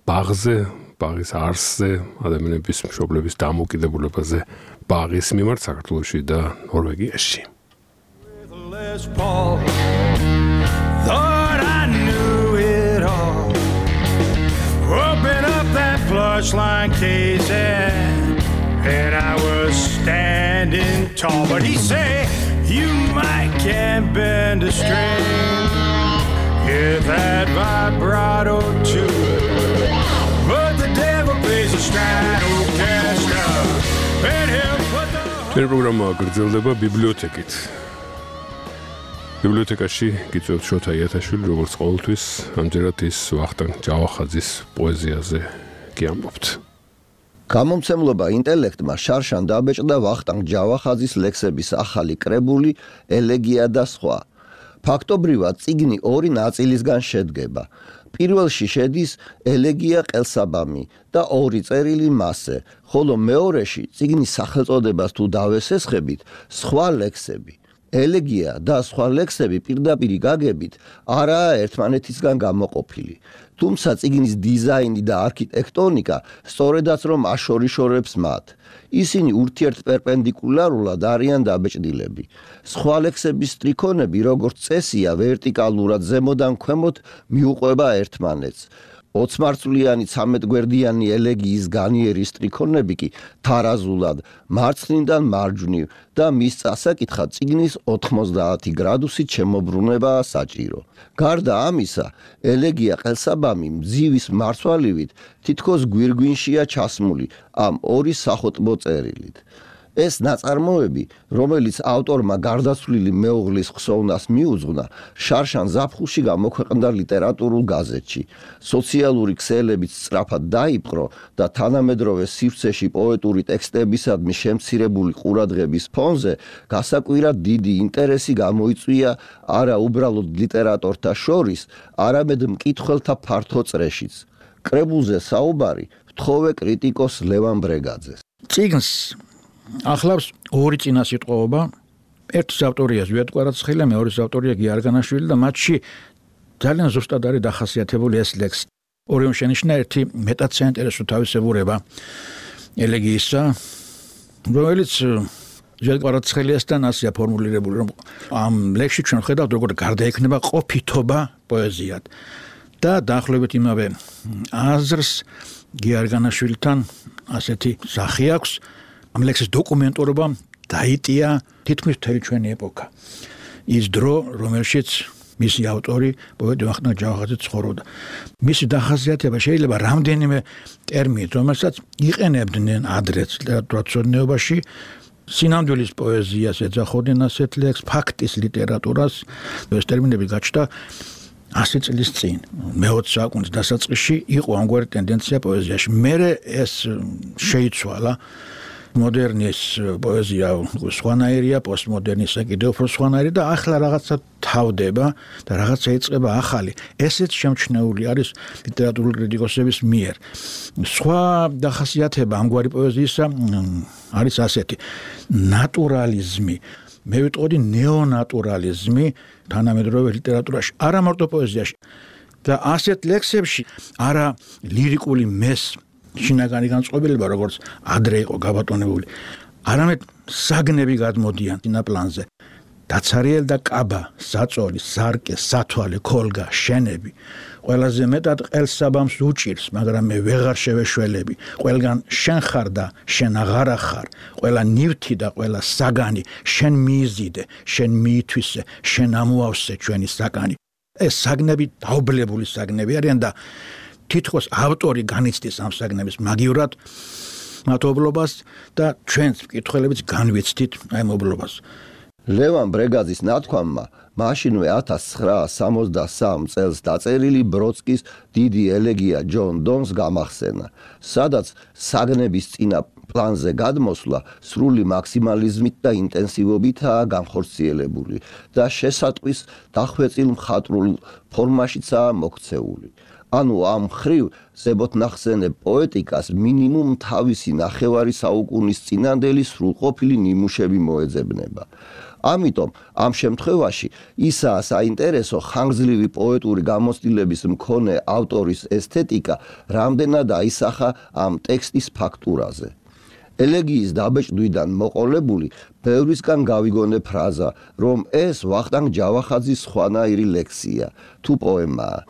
ბაღზე, ბაღის არსზე, ადამიანების მშობლების დამოკიდებულებაზე ბაღის მიმართ საქართველოში და ნორვეგიაში. And I was standing tall, but he said, you might can't bend a string, hit that vibrato too, but the devil plays a Stratocaster, and he'll put the... Ჩვენ პროგრამა გრძელდება ბიბლიოთეკით. ბიბლიოთეკაში გიწევთ შოთა იათაშვილი, როგორც ყოველთვის, ამჯერად ის ვახტანგ ჯავახაძის პოეზიაზე კი ამბობთ. გამომცემლობა ინტელექტმა შარშან დაბეჭდა ვახტანგ ჯავახაძის ლექსების ახალი კრებული ელეგია და სხვა. ფაქტობრივად წიგნი ორი ნაწილისგან შედგება. პირველში შედის ელეგია ყელსაბამი და ორი წერილი მასზე, ხოლო მეორეში წიგნის სახელწოდებას თუ დავესესხებით, სხვა ლექსები. ელეგია და სხვა ლექსები პირდაპირ გაგებით არაა ერთმანეთისგან გამოყოფილი. თუმცა წიგნის დიზაინი და არქიტექტონიკა სწორედაც რომ აშორიშორებს მათ. ისინი ურთიერთპერპენდიკულარულად არიან დაბეჭდილები. სხვა ლექსების სტრიქონები, როგორც წესია, ვერტიკალურად ზემოდან ქვემოთ მიუყვება ერთმანეთს. 20 მარცვლიანი 13 გვერდიანი ელეგიის განიერი სტრიქონები კი თარაზულად მარცხნიდან მარჯვნივ და მის წასაკითხად წიგნის 90 გრადუსით შემოbrunებაა საჭირო. გარდა ამისა, ელეგია ყელსაბამი მძივის მარცვალივით თითქოს გვირგვინშია ჩასმული ამ ორი სახოტბო წერილით. ეს ნაწარმოები, რომელიც ავტორმა გარდაცვლილი მეუღლის ხსოვნას მიუძღვნა, შარშან ზაფხულში გამოქვეყნდა ლიტერატურულ გაზეთში. სოციალური ქსელებით სწრაფად დაიპყრო და თანამედროვე სივრცეში პოეტური ტექსტებისადმი შემცირებული ყურადღების ფონზე გასაკვირად დიდი ინტერესი გამოიწვია არა უბრალოდ ლიტერატორთა შორის, არამედ მკითხველთა ფართო წრეშიც. კრებულზე საუბარი ვთხოვე კრიტიკოს ლევან ბრეგაძეს. წიგნს ახლავს ორი წინასიტყვაობა, ერთის ავტორია ზვიად კვარაცხელია, მეორის ავტორია გია არგანაშვილი და მათში ძალიან ზუსტად არის დახასიათებული ეს ლექსი. ორივე შენიშნა ერთი მეტად საინტერესო თავისებურება ელეგიისა, რომელიც ზვიად კვარაცხელიასთან ასეა ფორმულირებული, რომ ამ ლექსში ჩვენ ხედავთ როგორ გარდაექნება ყოფითობა პოეზიად და დაახლოებით იმავე აზრს გია არგანაშვილთან ასეთი სახე აქვს. ამ ლექსის დოკუმენტურობა დაიტია თითქმის მთელი ჩვენი ეპოქა. ის დრო, რომელშიც მისი ავტორი პოეტი ვახტანგ ჯავახაძე ცხოვრობდა. მისი დახასიათება შეიძლება რამდენიმე ტერმინით, რომელსაც იყენებდნენ ადრეც ლიტერატურაცოდნეობაში, სინამდვილის პოეზიას ეძახოდნენ ასეთ ლექსს, ფაქტის ლიტერატურას, ეს ტერმინები გაჩნდა 100 წლის წინ, მე-20 საუკუნის დასაწყისში იყო ამგვარი ტენდენცია პოეზიაში. მერე ეს შეიცვალა. მოდერნის პოეზია სხვანაირია, პოსტმოდერნისა კიდევ უფრო სხვანაირი და ახლა რაღაცა თავდება და რაღაცა იწყება ახალი. ესეც შემჩნეული არის ლიტერატურული კრიტიკოსების მიერ. სხვა დახასიათება ამგვარი პოეზიისა არის ასეთი: ნატურალიზმი. მე ვიტყოდი ნეონატურალიზმი თანამედროვე ლიტერატურაში, არა მარტო პოეზიაში. და ასეთ ლექსებში არა ლირიკული მეს შინაგანი განწყობილება, როგორც ადრე იყო გაბატონებული, არამედ საგნები გადმოდიან წინაპლანზე. დაცარიელ და კაბა, საწოლი, სარკე, სათვალე, ქოლგა, შენები. ყველაზე მეტად ყელსაბამს უჭირს, მაგრამ მე ვეღარ შევეშველები. ყველგან შენ ხარ და შენ აღარა ხარ. ყველა ნივთი და ყველა საგანი შენ მიიზიდე, შენ მიითვისე, შენ ამოავსე ჩვენი საკანი. ეს საგნები დაუბლებული საგნები არიან და თითქოს ავტორი განიცდის ამ საგნების მაგივრად მათობლობას და ჩვენს მკითხველებიც განვიცდით აი მობლობას. ლევან ბრეგაძის ნათქვამმა მაშინვე 1963 წელს დაწერილი ბროდსკის დიდი ელეგია ჯონ დონს გამახსენა, სადაც საგნების წინა პლანზე გადმოსვლა სრული მაქსიმალიზმით და ინტენსივობითაა განხორციელებული და შესატყვის დახვეწილ მხატვრულ ფორმაშიცაა მოქცეული. ანუ ამ ხრივ ზებოთნახსენებ პოეტიკას მინიმუმ თავისი ნახევარი საუკუნის წინანდელი სრულყოფილი ნიმუშები მოეძებნება. ამიტომ ამ შემთხვევაში ისაა საინტერესო ხანგრძლივი პოეტური გამოცდილების მქონე ავტორის ესთეტიკა, რამდენად აისახა ამ ტექსტის ფაქტურაზე. ელეგიის დაბეჭდვიდან მოყოლებული ბევრისგან გავიგონე ფრაზა, რომ ეს ვახტანგ ჯავახაძის სხვანაირი ლექსია თუ პოემაა.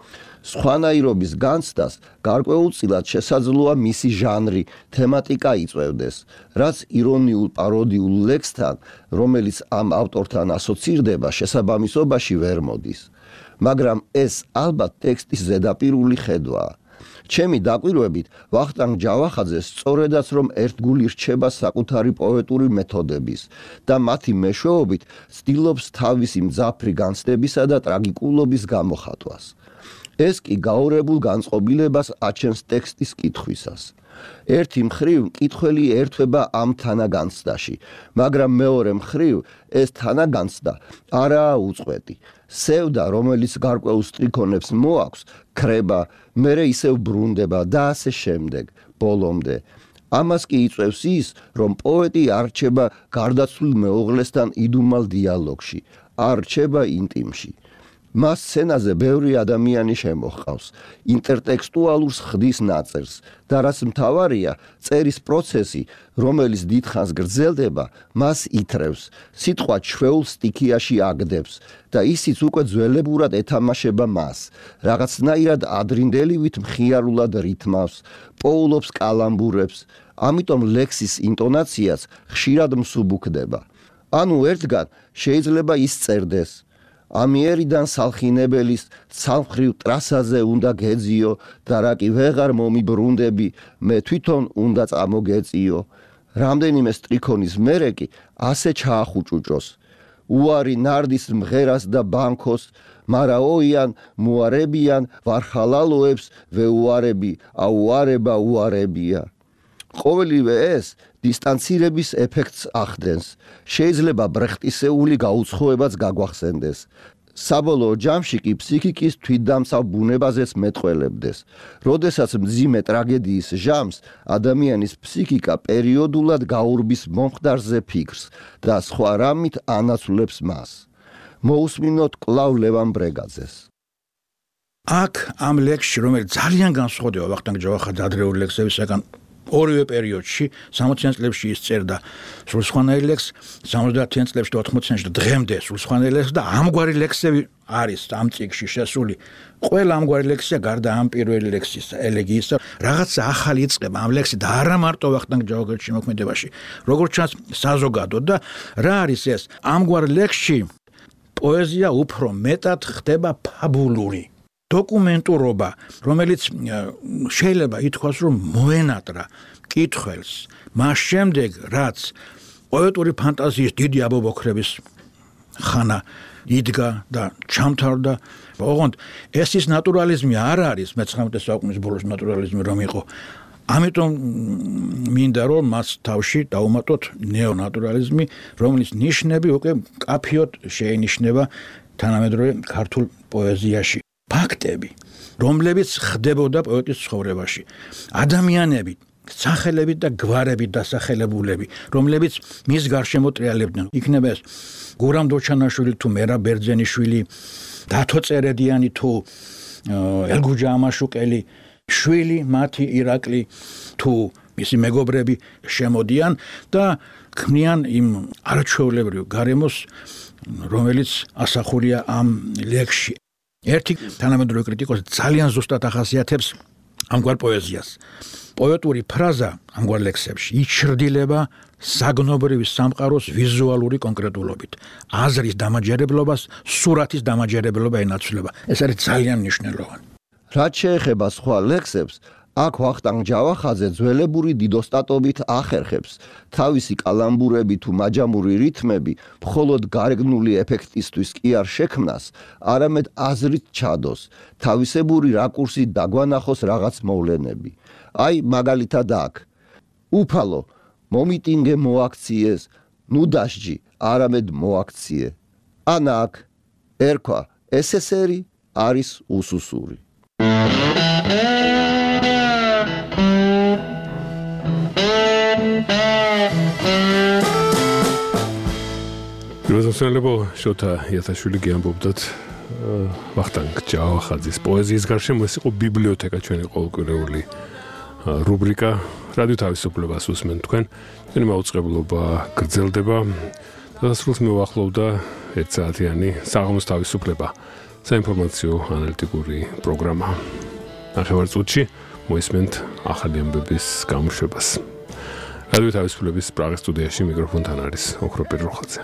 სხვანაირობის განცდას გარკვეულწილად შესაძლოა მისი ჟანრი, თემატიკა იწვევდეს, რაც ირონიულ პაროდიულ ლექსთან, რომელიც ამ ავტორთან ასოცირდება, შესაბამისობაში ვერ მოდის. მაგრამ ეს ალბათ ტექსტის ზედაპირული ხედვაა. ჩემი დაკვირვებით, ვახტანგ ჯავახაძე სწორედაც რომ ერთგული რჩება საკუთარი პოეტური მეთოდების და მათი მეშვეობით ცდილობს თავისი მძაფრი განცდებისა და ტრაგიკულობის გამოხატვას. ეს კი გაურებულ განწყობილებას აჩენს ტექსტის კითხვისას. ერთი მხრივ მკითხველი ერთვება ამ თანაგანცდაში, მაგრამ მეორე მხრივ ეს თანაგანცდა არაა უწყვეტი. სევდა, რომელიც გარკვეულ სტრიქონებს მოაქვს, ქრება, მერე ისევ ბრუნდება და ასე შემდეგ, ბოლომდე. ამას კი იწვევს ის, რომ პოეტი არ რჩება გარდაცვლილ მეუღლესთან იდუმალ დიალოგში, არ რჩება ინტიმში. მას სცენაზე ბევრი ადამიანი შემოჰყავს, ინტერტექსტუალურს ხდის ნაწერს და რაც მთავარია, წერის პროცესი, რომელიც დიდხანს გრძელდება, მას ითრევს, სიტყვა ჩვეულ სტიქიაში აგდებს და ისიც უკვე ძველებურად ეთამაშება მას, რაღაცნაირად ადრინდელივით მხიარულად რითმავს, პოულობს კალამბურებს, ამიტომ ლექსის ინტონაციაც ხშირად მსუბუქდება. ანუ ერთგან შეიძლება ის წერდეს ამიერიდან სალხინებელის ცალმხრივ ტრასაზე უნდა გეძიო და რა კი ვეღარ მომიბრუნდები, მე თვითონ უნდა წამოგეწიო. რამდენიმე სტრიქონის მერე კი ასე ჩაახუჭუჭოს. უარი ნარდის მღერას და ბანქოს, მარა ოიან მოარებიან ვარხალალოებს ვეუარები, აუარება უარებია. ყოველივე ეს დისტანცირების ეფექტს ახდენს. შეიძლება ბრეხტისეული გაუცხოებაც გაგვახსენდეს. საბოლოო ჯამში კი ფსიქიკის თვითდამცავ ბუნებაზეც მეტყველებდეს. როდესაც მძიმე ტრაგედიის ჟამს ადამიანის ფსიქიკა პერიოდულად გაურბის მომხდარზე ფიქრს და სხვა რამით ანაცვლებს მას. მოусმინოთ კვლავ ლევან ბრეგაძეს. აქ ამ ლექსში, რომელიც ძალიან განსხვავდება ვახტანგ ჯავახაძის ადრეული ლექსებისგან, ორივე პერიოდში 60-იან წლებში ის წერდა სრულსხვანაირ ლექსს, 70-იან წლებში და 80-იანში და დღემდე სრულსხვანაირ ლექსს და ამგვარი ლექსები არის ამ წიგნში შესული. ყველა ამგვარი ლექსია გარდა ამ პირველი ლექსის ელეგიისა, რაღაცა ახალი იწყება ამ ლექსი და არა მარტო ვახტანგ ჯავახაძის შემოქმედებაში, როგორც ჩანს საზოგადოდ და რა არის ეს? ამგვარ ლექსში პოეზია უფრო მეტად ხდება ფაბულური. დოკუმენტურობა, რომელიც შეიძლება ითქვას, რომ მოენატრა მკითხველს, მას შემდეგ, რაც პოეტური ფანტაზიის დიდი აბობოქრების ხანა იდგა და ჩამთავრდა, ოღონდ ეს ის ნატურალიზმი არ არის, მე-19 საუკუნის ბოლოს ნატურალიზმი რომ იყო. ამიტომ მინდა რომ მას თავში დავუმატოთ ნეონატურალიზმი, რომლის ნიშნები უკვე კაფიოდ შეინიშნება თანამედროვე ქართულ პოეზიაში. ფაქტები, რომლებიც ხდებოდა პოეტის ცხოვრებაში. ადამიანები, სახელებით და გვარებით დასახელებულები, რომლებიც მის გარშემო ტრიალებდნენ. იქნება ეს გურამ დოჩანაშვილი თუ მერაბ ბერძენიშვილი, დათო წერედიანი თუ ელგუჯა ამაშუკელი, შვილი მათი ირაკლი თუ მისი მეგობრები შემოდიან და ქმნიან იმ არაჩვეულებრივ გარემოს, რომელიც ასახულია ამ ლექსში. ერთი თანამედროვე კრიტიკოსი ძალიან ზუსტად ახასიათებს ამგვარ პოეზიას. პოეტური ფრაზა ამგვარ ლექსებში იჩრდილება საგნობრივი სამყაროს ვიზუალური კონკრეტულობით. აზრის დამაჯერებლობას სურათის დამაჯერებლობა ენაცვლება. ეს არის ძალიან მნიშვნელოვანი. რაც შეეხება სხვა ლექსებს, აქ ვახტანგ ჯავახაძე ძველებური დიდოსტატობით ახერხებს თავისი კალამბურები თუ მაჯამური რითმები მხოლოდ გარეგნული ეფექტისთვის კი არ შექმნას, არამედ აზრით ჩადოს, თავისებური რაკურსით დაგვანახოს რაღაც მოვლენები. აი მაგალითად აქ უფალო მომიტინგე მოაქციეს, ნუ დასჯი, არამედ მოაქციე. ან აქ ერქვა ესესერი არის უსუსური. როზოსელებო შოთა იათაშვილი გიამბობდათ ვახტანგ ჯავახაძის პოეზიის გარშემო ეს იყო ბიბლიოთეკა ჩვენი ყოველკვირეული რუბრიკა რადიო თავისუფლებას უსმენთ თქვენ ჩვენი მაუწყებლობა გრძელდება დასრულს მოვახლოვდა 1 საათიანი საღამოს თავისუფლება საინფორმაციო ანალიტიკური პროგრამა ნახევარწუთში მოისმენთ ახალი ამბების გამოშვებას რადიო თავისუფლების პრაღის სტუდიაში მიკროფონთან არის ოქრო პიროხაძე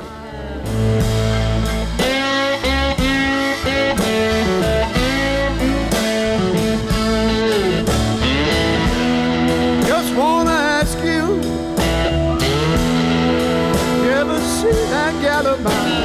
Just wanna ask you, you ever see that gal of mine?